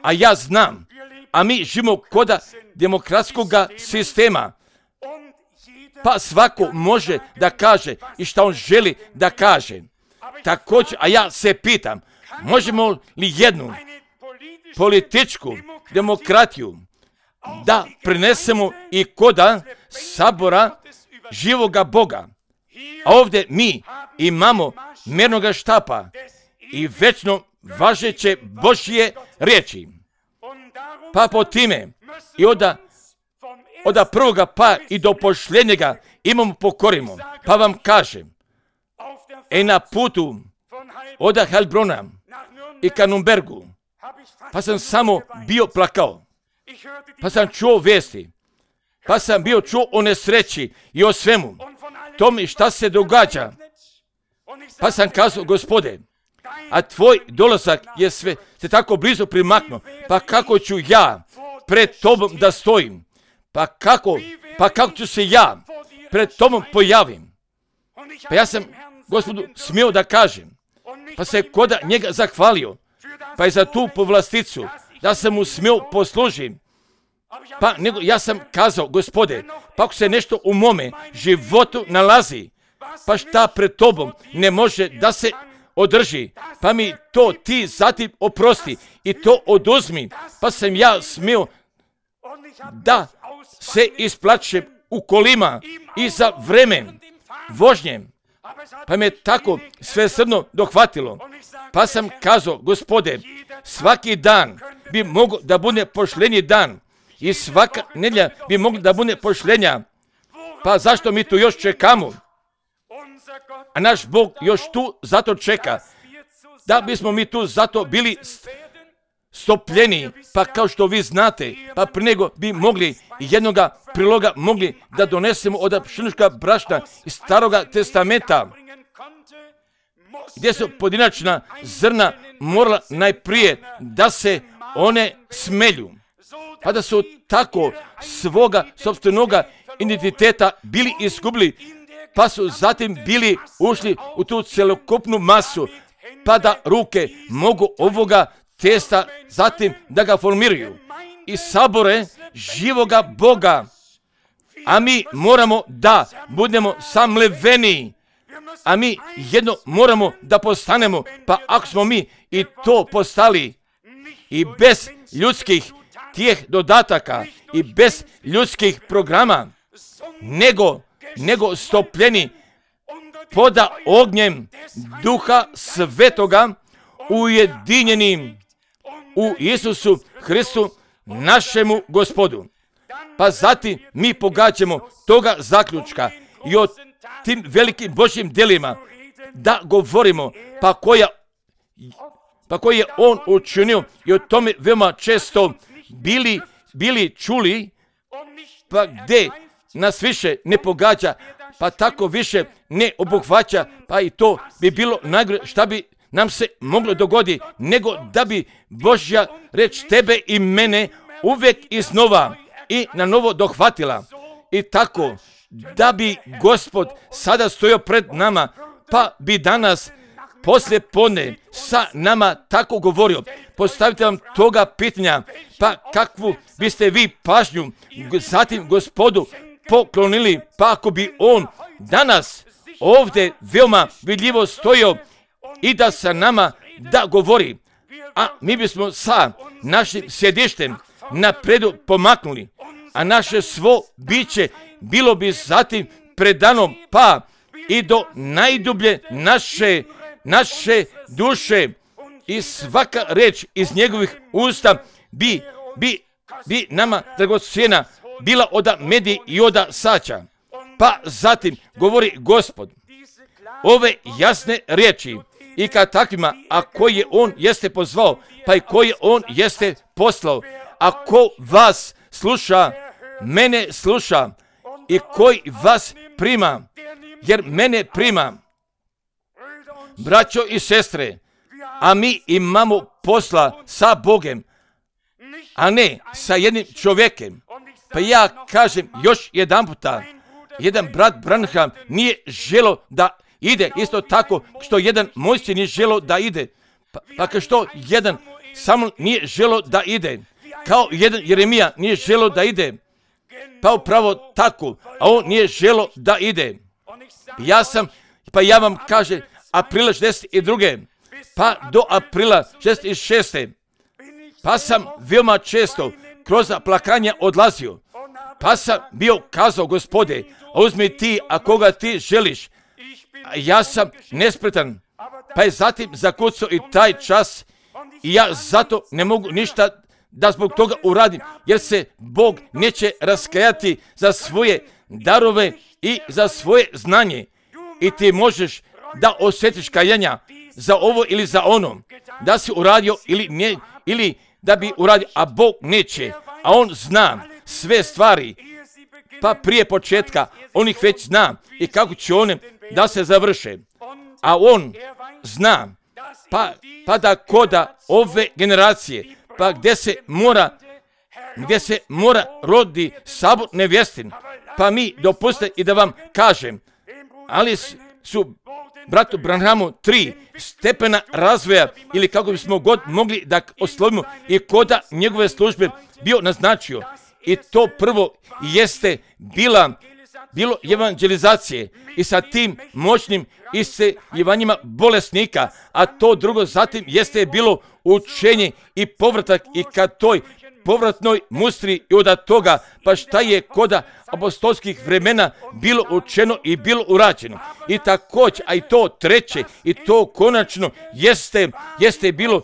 a ja znam, a mi živimo koda demokratskog sistema, pa svako može da kaže i šta on želi da kaže. Također, a ja se pitam, možemo li jednu političku demokratiju da prenesemo i koda sabora živoga Boga? A ovdje mi imamo mjernoga štapa i večno važeće Božje riječi. Pa po time i od prvoga pa i do posljednjega imamo pokorimo. Pa vam kažem, na putu od Heilbronna i ka Nürnbergu, pa sam samo bio plakao, pa sam čuo vijesti, pa sam bio čuo o nesreći i o svemu tome šta se događa. Pa sam kazao, Gospode, a tvoj dolazak je se tako blizu primaknuo, pa kako ću ja pred tobom da stojim? Pa kako ću se ja pred tobom pojavim? Pa ja sam Gospodu smio da kažem, pa se koda njega zahvalio, pa i za tu povlasticu, da sam mu smio poslužiti. Pa nego ja sam kazao, Gospode, pa ako se nešto u mome životu nalazi, pa šta pred tobom ne može da se održi, pa mi to ti zatim oprosti i to oduzmi. Pa sam ja smio da se isplačem u kolima i za vremen vožnjem. Pa me tako svesrdno dohvatilo. Pa sam kazao, Gospode, svaki dan bi mogao da bude pošlenji dan i svaka nedjelja bi mogla da bude pošlenja. Pa zašto mi tu još čekamo? A naš Bog još tu zato čeka, da bismo mi tu zato bili stopljeni, pa kao što vi znate, pa prije nego bi mogli jednoga priloga mogli da donesemo od pšenička brašna iz Staroga testamenta, gdje su pojedinačna zrna morala najprije da se one smelju, pa da su tako svoga sopstvenoga identiteta bili izgubili, pa su zatim bili ušli u tu celokupnu masu, pa da ruke mogu ovoga testa zatim da ga formiraju i sabore živoga Boga. A mi moramo da budemo samleveni, a mi jedno moramo da postanemo, pa ako smo mi i to postali i bez ljudskih tih dodataka i bez ljudskih programa, nego stopljeni poda ognjem Duha Svetoga, ujedinjenim u Isusu Hristu, našemu Gospodu. Pa zatim mi pogađamo toga zaključka i o tim velikim Božjim djelima da govorimo, pa koji je on učinio i o tome veoma često bili čuli, pa gdje nas više ne pogađa, pa tako više ne obuhvaća, pa i to bi bilo najgore šta bi nam se moglo dogoditi, nego da bi Božja reč tebe i mene uvijek iznova i na novo dohvatila. I tako da bi Gospod sada stojao pred nama, pa bi danas poslije podne sa nama tako govorio. Postavite vam toga pitanja, pa kakvu biste vi pažnju zatim Gospodu poklonili, pa ako bi on danas ovdje veoma vidljivo stojio i da sa nama da govori, a mi bismo sa našim sjedištem napredu pomaknuli, a naše svo biće bilo bi zatim predano pa i do najdublje naše duše i svaka reč iz njegovih usta bi nama dragocjena bila oda medi i oda sača. Pa zatim govori Gospod ove jasne riječi i kad takvima, a koje on jeste pozvao, pa i koje on jeste poslao, a ko vas sluša, mene sluša i koji vas prima, jer mene prima. Braćo i sestre, a mi imamo posla sa Bogom, a ne sa jednim čovjekom. Pa ja kažem još jedan puta, jedan brat Branham nije želo da ide, isto tako što jedan Mojsije nije želo da ide, pa što jedan Samuel nije želo da ide, kao jedan Jeremija nije želo da ide, pa upravo tako, a on nije želo da ide. Ja vam kažem, aprila 62. pa do aprila 66. pa sam veoma često kroz plakanja odlazio, pa sam bio kazao, Gospode, uzmi ti, a koga ti želiš. Ja sam nespretan, pa je zatim zakucao i taj čas i ja zato ne mogu ništa da zbog toga uradim, jer se Bog neće raskajati za svoje darove i za svoje znanje. I ti možeš da osjetiš kajanja za ovo ili za ono, da si uradio ili ne, ili da bi uradio, a Bog neće, a on zna sve stvari, pa prije početka on ih već zna i kako će one da se završe, a on zna, pa da koda ove generacije, pa gdje se mora rodi sabor nevjestin, pa mi dopustite i da vam kažem, ali su bratu Branhamu 3 stepena razvoja, ili kako bismo god mogli da oslovimo, i koda njegove službe bio naznačio. I to prvo jeste bilo evangelizacije i sa tim moćnim isceljivanjima bolesnika, a to drugo zatim jeste bilo učenje i povratak, i kad toj povratnoj mustri i od toga, pa šta je koda apostolskih vremena bilo učeno i bilo urađeno. I također, a i to treće, i to konačno jeste bilo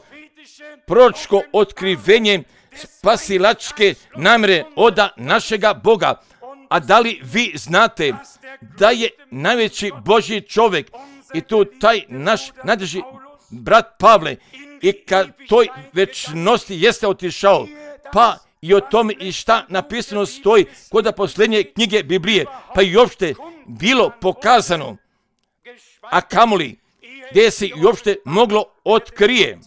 proročko otkrivenje spasilačke namjere od našega Boga. A da li vi znate da je najveći Božji čovjek i tu taj naš najdraži brat Pavle, i kad toj večnosti jeste otišao, pa i o tome i šta napisano stoji kod posljednje knjige Biblije, pa i uopšte bilo pokazano, a kamoli gdje se i uopšte moglo otkrije.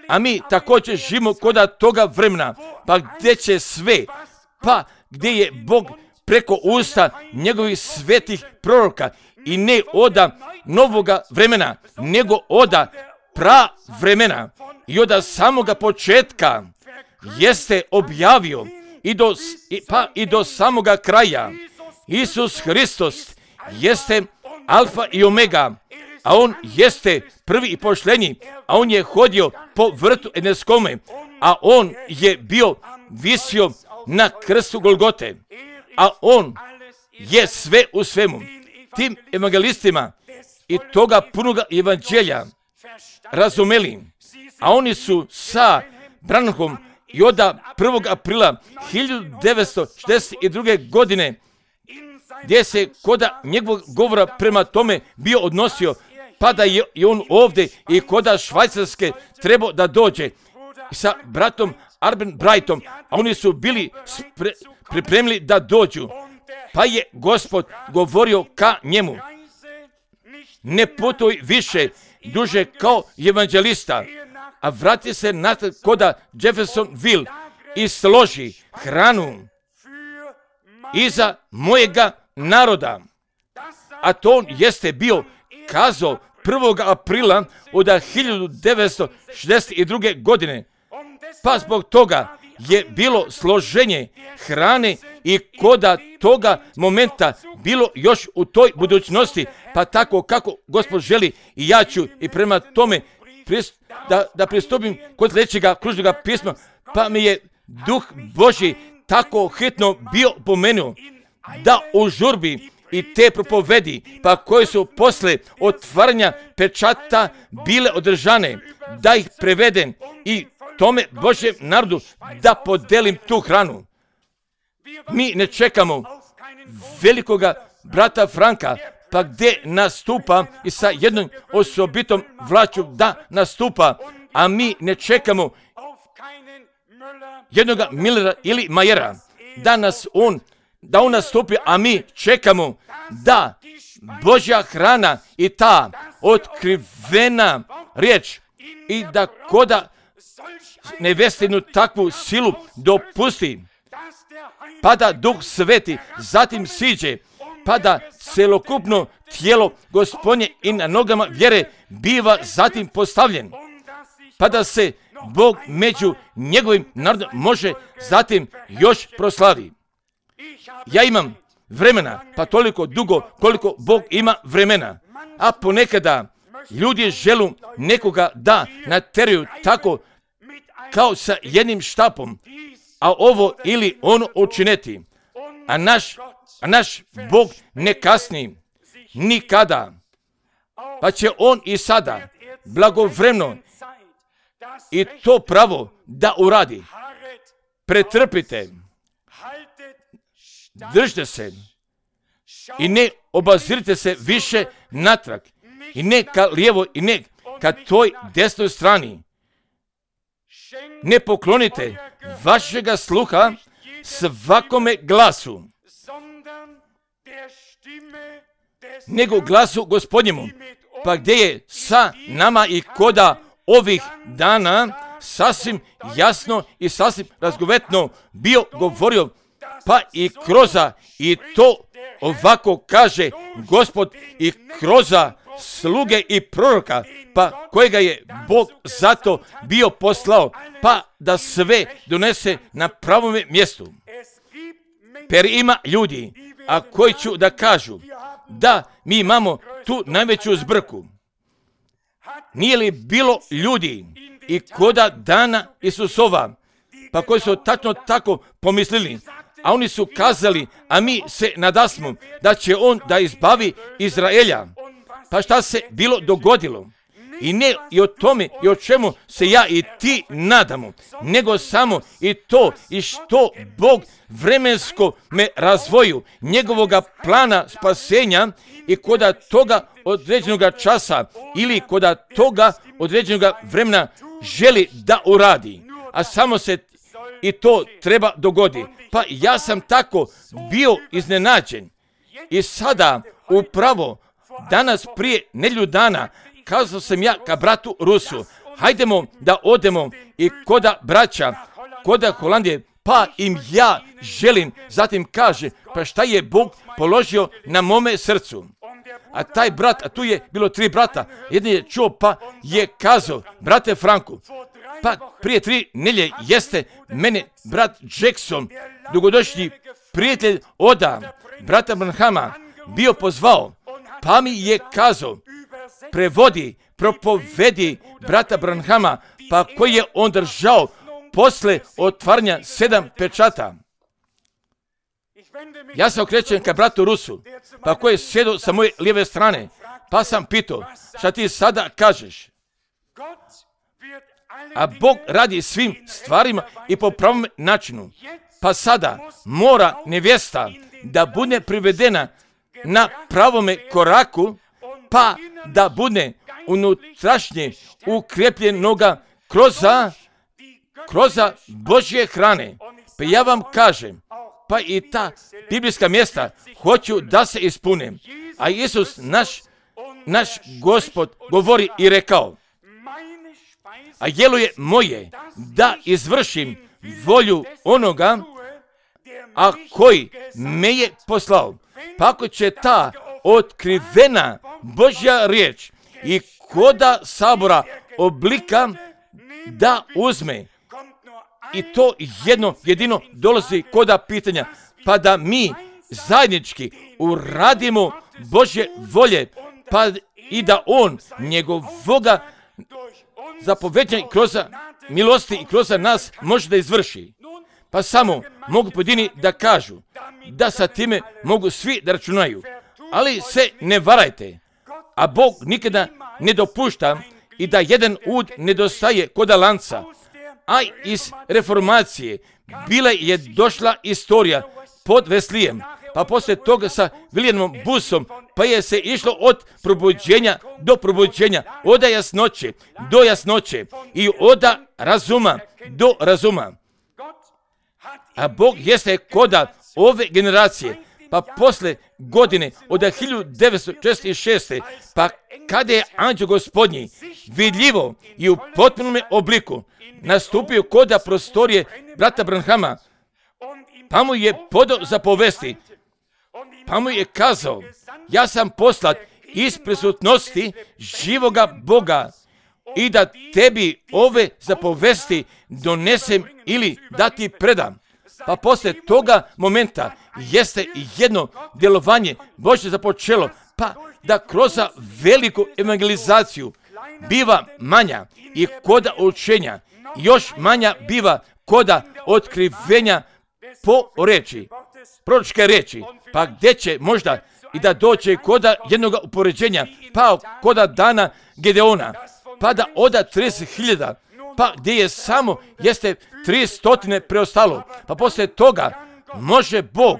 A mi također živimo kod toga vremena, pa gdje će sve, pa gdje je Bog preko usta njegovih svetih proroka, i ne oda novoga vremena, nego oda pravremena i od samoga početka jeste objavio i do samoga kraja. Isus Hristos jeste alfa i omega, a on jeste prvi i poštenji, a on je hodio po vrtu Edeskome, a on je bio visio na krstu Golgote, a on je sve u svemu. Tim evangelistima i toga punoga evanđelja razumeli, a oni su sa Branhamom i od 1. aprila 1962. godine, gdje se koda njegovog govora prema tome bio odnosio, pa da je on ovdje i koda Švajcarske trebao da dođe sa bratom Arben Brightom, a oni su bili pripremili da dođu, pa je Gospod govorio ka njemu: ne putuj više duže kao evanđelista, a vrati se natrag koda Jeffersonville i složi hranu iza mojega naroda. A to on jeste bio kazao 1. aprila od 1962. godine. Pa zbog toga je bilo složenje hrane i koda toga momenta bilo još u toj budućnosti, pa tako kako Gospod želi i ja ću i prema tome da pristupim kod sljedećega kružnoga pisma, pa mi je Duh Božji tako hitno bio pomenuo da u žurbi i te propovedi, pa koje su posle otvaranja pečata bile održane, da ih prevedem i tome Božjem narodu da podelim tu hranu. Mi ne čekamo velikoga brata Franka, pa gdje nastupa i sa jednom osobitom vlašću da nastupa, a mi ne čekamo jednoga Millera ili Majera da on nastupi, a mi čekamo da Božja hrana i ta otkrivena riječ i da koda nevestinu takvu silu dopusti, pa da Duh Sveti zatim siđe, pa da celokupno tijelo Gospodnje i na nogama vjere biva zatim postavljen, pa da se Bog među njegovim narodom može zatim još proslavi. Ja imam vremena, pa toliko dugo koliko Bog ima vremena, a ponekada ljudi želu nekoga da nateraju tako kao sa jednim štapom, a ovo ili ono učiniti, a naš Bog ne kasni nikada, pa će on i sada blagovremeno i to pravo da uradi. Pretrpite, držite se i ne obazirite se više natrag i ne ka lijevo i ne ka toj desnoj strani. Ne poklonite vašega sluha svakome glasu, nego glasu Gospodnjemu, pa gdje je sa nama i koda ovih dana sasvim jasno i sasvim razgovetno bio govorio, pa i kroza, i to ovako kaže Gospod, i kroza sluge i proroka, pa kojega je Bog zato bio poslao, pa da sve donese na pravome mjestu. Per ima ljudi, a koji ću da kažu da mi imamo tu najveću zbrku. Nije li bilo ljudi i koda dana Isusova, pa koji su tačno tako pomislili, a oni su kazali, a mi se nadasmo da će on da izbavi Izraelja. Pa šta se bilo dogodilo? I ne i o tome i o čemu se ja i ti nadamo, nego samo i to i što Bog vremensko me razvoju njegovoga plana spasenja i koda toga određenog časa ili koda toga određenog vremena želi da uradi, a samo se i to treba dogodi. Pa ja sam tako bio iznenađen i sada upravo danas prije nedjelju dana kazao sam ja ka bratu Rusu, hajdemo da odemo i koda braća, koda Holandije, pa im ja želim, zatim kaže, pa šta je Bog položio na mome srcu. A taj brat, a tu je bilo 3 brata, jedan je čuo pa je kazao, brate Franku, pa prije 3 nedjelje jeste mene brat Jackson, dugodošnji prijatelj oda brata Branhama, bio pozvao, pa mi je kazao, prevodi, propovedi brata Branhama, pa koji je on držao posle otvaranja 7 pečata. Ja se okrećem ka bratu Rusu, pa koji je sjedio sa moje lijeve strane, pa sam pitao, šta ti sada kažeš? A Bog radi svim stvarima i po pravom načinu. Pa sada mora nevjesta da bude privedena na pravome koraku, pa da bude unutrašnje ukrepljenoga kroz Božje hrane. Pa ja vam kažem, pa i ta biblijska mjesta hoću da se ispune. A Isus, naš Gospod, govori i rekao, a jelo je moje da izvršim volju onoga, a koji me je poslao. Pa ako će ta otkrivena Božja riječ i koda sabora oblika da uzme i to jedino dolazi koda pitanja, pa da mi zajednički uradimo Božje volje, pa i da on njegovoga zapoveđanja kroz milosti i kroz nas može da izvrši. Pa samo mogu pojedini da kažu da sa time mogu svi da računaju, ali se ne varajte, a Bog nikada ne dopušta i da jedan ud nedostaje koda lanca, a iz reformacije bila je došla istorija pod Veslijem, pa poslije toga sa Williamom Busom, pa je se išlo od probuđenja do probuđenja, od jasnoće do jasnoće i od razuma do razuma. A Bog jeste koda ove generacije, pa posle godine od 1946. pa kada je anđeo Gospodnji vidljivo i u potpunom obliku nastupio koda prostorije brata Branhama, pa mu je podao zapovesti, pa mu je kazao, ja sam poslat iz prisutnosti živoga Boga i da tebi ove zapovesti donesem ili da ti predam. Pa poslije toga momenta jeste jedno djelovanje Božje započelo, pa da kroz veliku evangelizaciju biva manja i koda učenja, još manja biva koda otkrivenja po reči, proročke reči, pa gdje će možda i da dođe koda jednog upoređenja, pa koda dana Gedeona, pa da oda 30.000, pa gdje je samo jeste 300 preostalo, pa poslije toga može Bog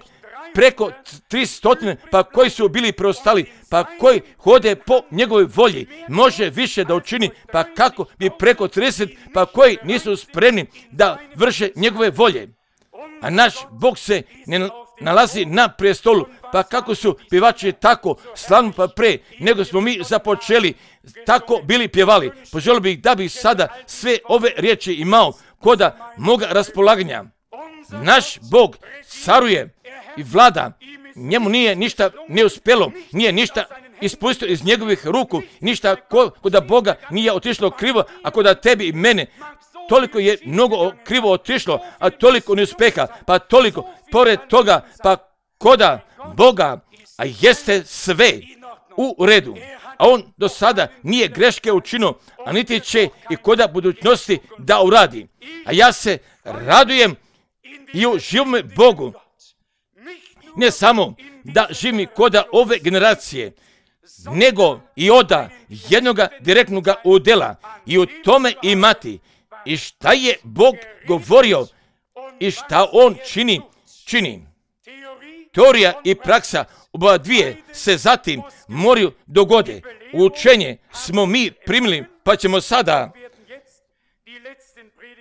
preko 300, pa koji su bili preostali, pa koji hode po njegovoj volji, može više da učini, pa kako bi preko 30, pa koji nisu spremni da vrše njegove volje. A naš Bog se ne nalazi na prestolu, pa kako su pjevači tako slavno pa pre, nego smo mi započeli, tako bili pjevali. Poželio bih da bih sada sve ove riječi imao koda moga raspolaganja. Naš Bog caruje i vlada, njemu nije ništa neuspjelo, nije ništa ispustio iz njegovih ruku, ništa koda Boga nije otišlo krivo, a koda tebi i mene toliko je mnogo krivo otišlo, a toliko neuspeha, pa toliko pored toga, pa koda Boga, a jeste sve u redu. A on do sada nije greške učinio, a niti će i koda budućnosti da uradi. A ja se radujem i u živome Bogu. Ne samo da živim koda ove generacije, nego i oda jednoga direktnog udjela i u tome imati. I šta je Bog govorio i šta on čini. Teorija i praksa oba dvije se zatim moraju dogode. Učenje smo mi primili, pa ćemo sada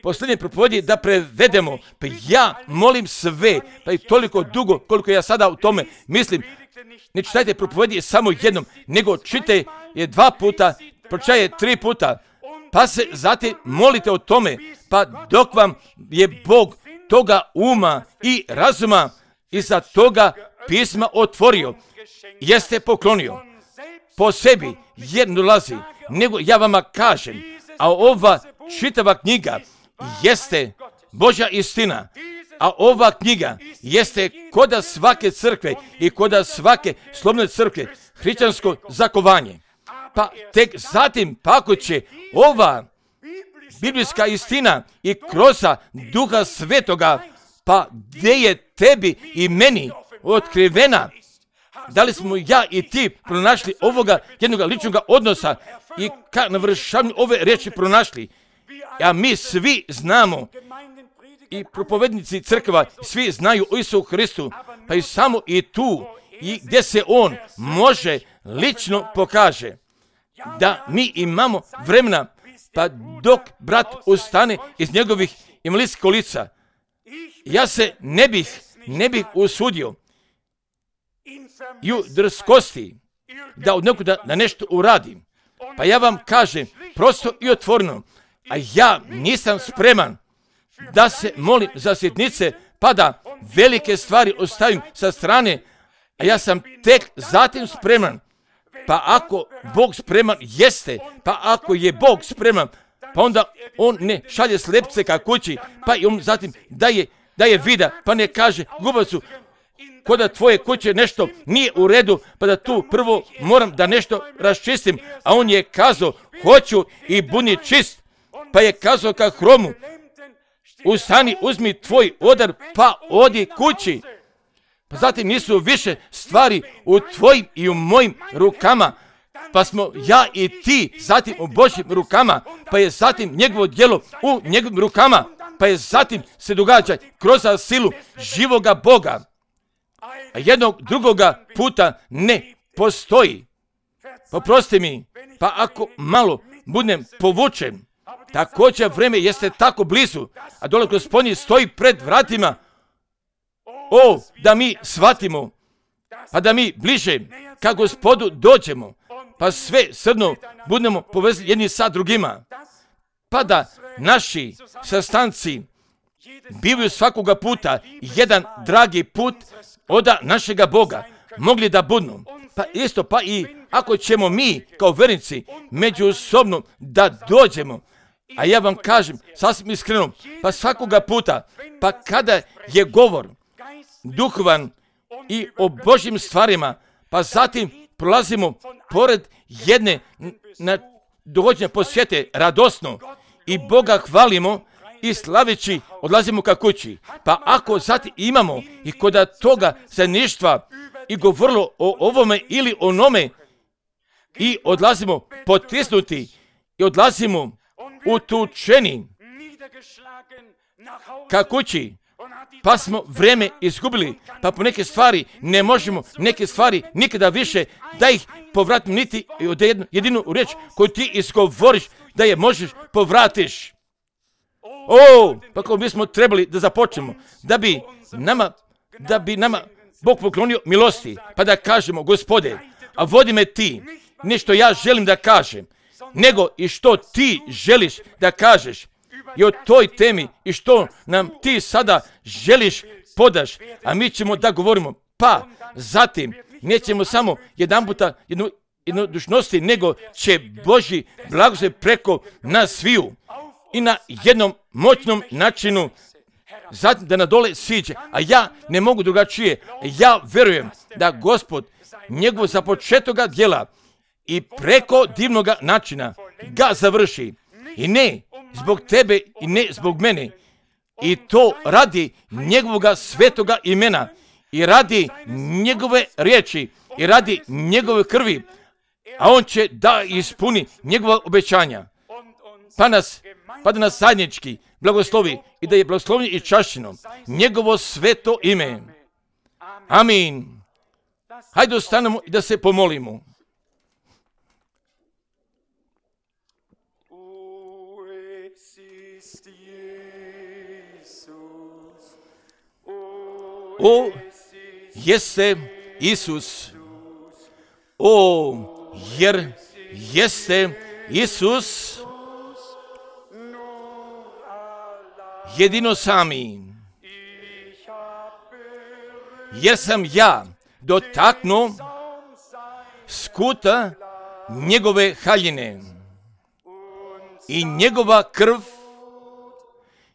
posljednje propovjedi da prevedemo. Pa ja molim sve, pa i toliko dugo koliko ja sada u tome mislim, ne čitajte propovjedi samo jednom, nego čitajte je 2 puta, pročitajte 3 puta, pa se zatim molite o tome, pa dok vam je Bog toga uma i razuma i za toga pisma otvorio, jeste poklonio po sebi, jer dolazi, nego ja vama kažem, a ova čitava knjiga jeste Božja istina, a ova knjiga jeste koda svake crkve i koda svake slobodne crkve, hrišćansko zakovanje. Pa tek zatim, pa ako će ova biblijska istina i kroz Duha Svetoga, pa gdje je tebi i meni otkrivena, da li smo ja i ti pronašli ovoga jednog ličnog odnosa i na vršavanju ove riječi pronašli, a mi svi znamo i propovednici crkva svi znaju o Isusu Hristu, pa i samo i tu i gdje se on može lično pokaže da mi imamo vremena, pa dok brat ustane iz njegovih invalidskih kolica, ja se ne bih usudio i u drskosti da od nekuda da nešto uradim. Pa ja vam kažem prosto i otvoreno, a ja nisam spreman da se molim za sitnice, pa da velike stvari ostavim sa strane, a ja sam tek zatim spreman. Pa ako Bog spreman jeste, pa ako je Bog spreman, pa onda on ne šalje slepce ka kući, pa i on zatim daje vida, pa ne kaže Gubacu, ko da tvoje kuće nešto nije u redu, pa da tu prvo moram da nešto raščistim, a on je kazao, hoću i budi čist, pa je kazao ka hromu, ustani, uzmi tvoj odar, pa odi kući. Pa zatim nisu više stvari u tvojim i u mojim rukama, pa smo ja i ti zatim u Božjim rukama, pa je zatim njegovo djelo u njegovim rukama, pa je zatim se događa kroz silu živoga Boga. A jednog drugoga puta ne postoji. Poprosti mi, pa ako malo budem povučen, također vreme jeste tako blizu, a dole Gospodin stoji pred vratima. O, da mi shvatimo, pa da mi bliže ka Gospodu dođemo, pa sve srdno budemo povezani jedni sa drugima, pa da naši sastanci bivaju svakoga puta jedan dragi put od našega Boga mogli da budu. Pa isto, pa i ako ćemo mi kao vernici međusobno da dođemo, a ja vam kažem sasvim iskreno, pa svakoga puta, pa kada je govor duhovan i o Božjim stvarima, pa zatim prolazimo pored jedne dovođenja posjete radosno i Boga hvalimo i slaveći odlazimo ka kući. Pa ako zatim imamo i kod toga zajedništva i govorilo o ovome ili onome i odlazimo potisnuti i odlazimo utučeni ka kući, pa smo vreme izgubili, pa po neke stvari ne možemo, neke stvari nikada više da ih povratim niti od jedinu riječ koju ti izgovoriš da je možeš povratiš. O, pa kako bismo trebali da započnemo, da bi nama Bog poklonio milosti, pa da kažemo, Gospode, a vodi me ti, ne što ja želim da kažem, nego i što ti želiš da kažeš. I o toj temi i što nam ti sada želiš podaš, a mi ćemo da govorimo, pa zatim nećemo samo jedan puta jednodušnosti, nego će Božji blagoslov preko nas sviju i na jednom moćnom načinu zatim da nadole siđe, a ja ne mogu drugačije. Ja verujem da Gospod njegovo započetoga djela i preko divnoga načina ga završi. I ne zbog tebe i ne zbog mene. I to radi njegovoga svetoga imena i radi njegove riječi i radi njegove krvi, a on će da ispuni njegova obećanja. Pa da nas zajednički blagoslovi i da je blagoslovljeno i čašćeno njegovo sveto ime. Amin. Hajde ostanemo i da se pomolimo. O, jeste Isus. O, jer jeste Isus jedino sami. Jer sam ja dotaknuo skuta njegove haljine i njegova krv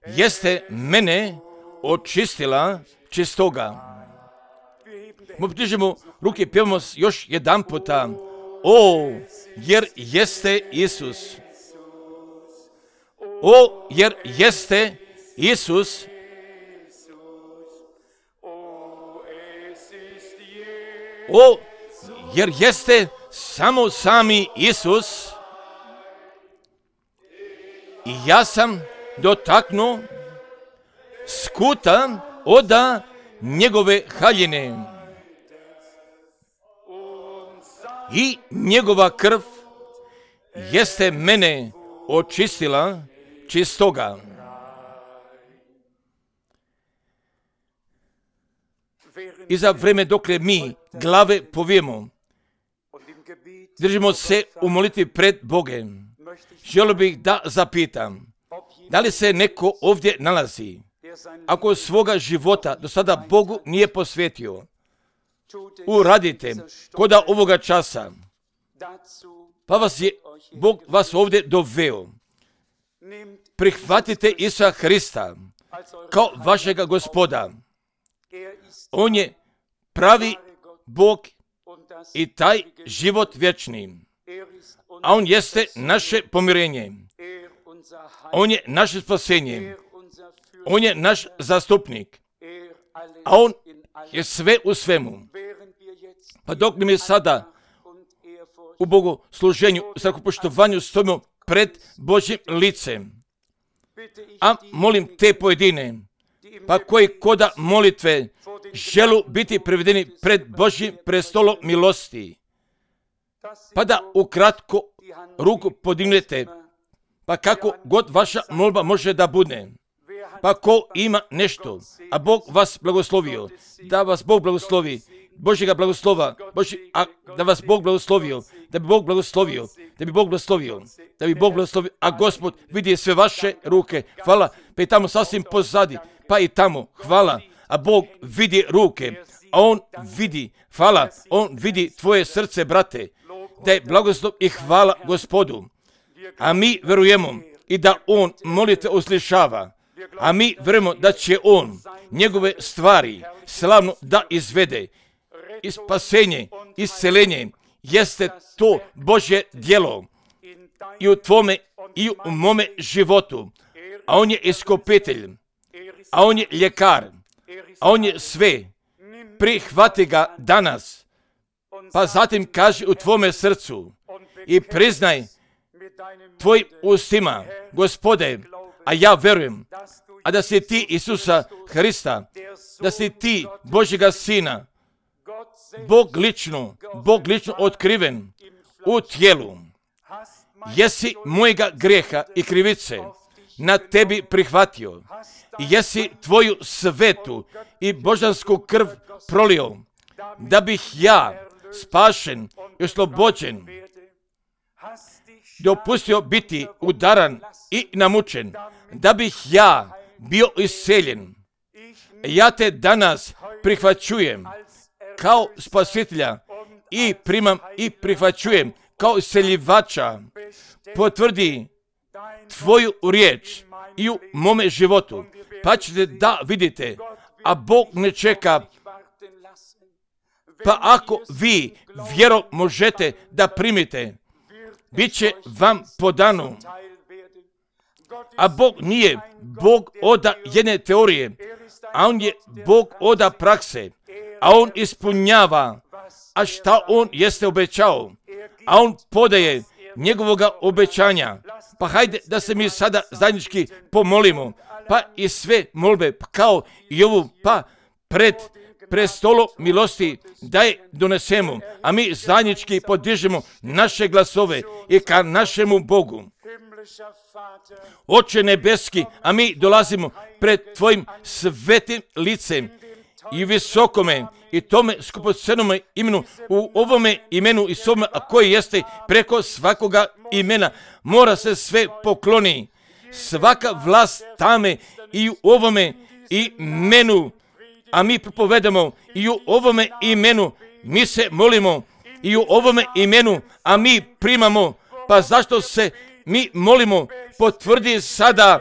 jeste mene očistila čistoga. Mi podižemo ruke i pjevamo još jedan puta. O, jer jeste Isus. O, jer jeste Isus. O, jer jeste samo sami Isus. I ja sam dotaknuo skuta od njegove haljine i njegova krv jeste mene očistila čistoga. I za vreme dokle mi glave povijemo, držimo se u molitvi pred Bogem, želio bih da zapitam, da li se neko ovdje nalazi, ako svoga života do sada Bogu nije posvetio, uradite koda ovoga časa, pa Bog vas ovdje doveo. prihvatite Isusa Hrista kao vašega Gospoda. On je pravi Bog i taj život vječni. A On jeste naše pomirenje. On je naše spasenje. On je naš zastupnik. A On je sve u svemu. Pa dok mi sada u bogosluženju, u strahopoštovanju stojimo pred Božjim licem, a molim te pojedine, pa koji koda molitve želu biti privedeni pred Božjim prestolom milosti, pa da ukratko ruku podignete, pa kako god vaša molba može da bude. Pa ko ima nešto, a Bog vas blagoslovio, da vas Bog blagoslovi, Božjega blagoslova, da vas Bog blagoslovio, da bi Bog blagoslovio, a Gospod vidi sve vaše ruke, hvala, pa i tamo sasvim pozadi, pa i tamo, hvala, a Bog vidi ruke, a On vidi, hvala, On vidi tvoje srce, brate, da je blagoslov i hvala Gospodu, a mi verujemo i da On molite uslišava, a mi vjerujemo da će On njegove stvari slavno da izvede. I spasenje, isceljenje jeste to Božje djelo i u tvome i u mome životu. A On je iskupitelj, a On je ljekar, a On je sve. Prihvati ga danas, pa zatim kaži u tvome srcu i priznaj tvojim ustima, Gospode, a ja verujem, a da si ti Isusa Hrista, da si ti Božjega Sina, Bog lično otkriven u tijelu. Jesi mojega grijeha i krivice na tebi prihvatio i jesi tvoju svetu i božansku krv prolio, da bih ja spašen i oslobođen, dopustio biti udaran i namučen, da bih ja bio isceljen. Ja te danas prihvaćujem kao spasitelja i primam i prihvaćujem kao isceljivača. Potvrdi tvoju riječ i u mome životu, pa ćete da vidite, a Bog ne čeka. Pa ako vi vjerom možete da primite, bit će vam podano. A Bog nije Bog oda jedne teorije, a On je Bog oda prakse, a On ispunjava, a šta On jeste obećao, a On podaje njegovoga obećanja. Pa hajde da se mi sada zajednički pomolimo, pa i sve molbe kao i ovu, pa pred prestolom milosti da je donesemo, a mi zajednički podižemo naše glasove i ka našemu Bogu. Oče nebeski, a mi dolazimo pred tvojim svetim licem i visokome i tome skupocenome imenu, u ovome imenu i svome, a koji jeste preko svakoga imena, mora se sve pokloni. Svaka vlast tame i u ovome imenu, a mi propovedamo i u ovome imenu, mi se molimo i u ovome imenu, a mi primamo. Pa zašto se mi molimo? Potvrdi sada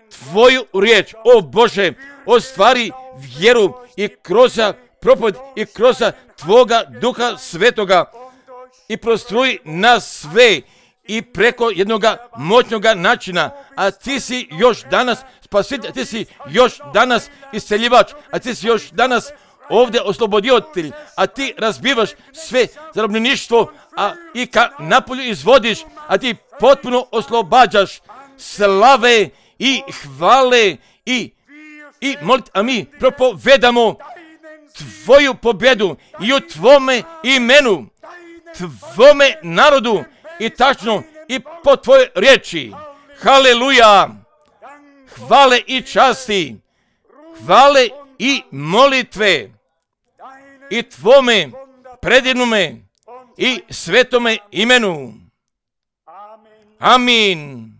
tvoju riječ, o Bože, ostvari vjeru i kroz propoved i kroz tvoga Duha Svetoga i prostruji nas sve i preko jednoga moćnoga načina, a ti si još danas spasitelj, a ti si još danas isceljivač, a ti si još danas ovdje osloboditelj, a ti razbivaš sve zarobljeništvo, a i ka napolju izvodiš, a ti potpuno oslobađaš. Slave i hvale i molit, a mi propovedamo tvoju pobjedu i u tvome imenu, tvome narodu i tačno i po tvojoj riječi. Haleluja! Hvale i časti, hvale i molitve i tvome predivnome i svetome imenu. Amin.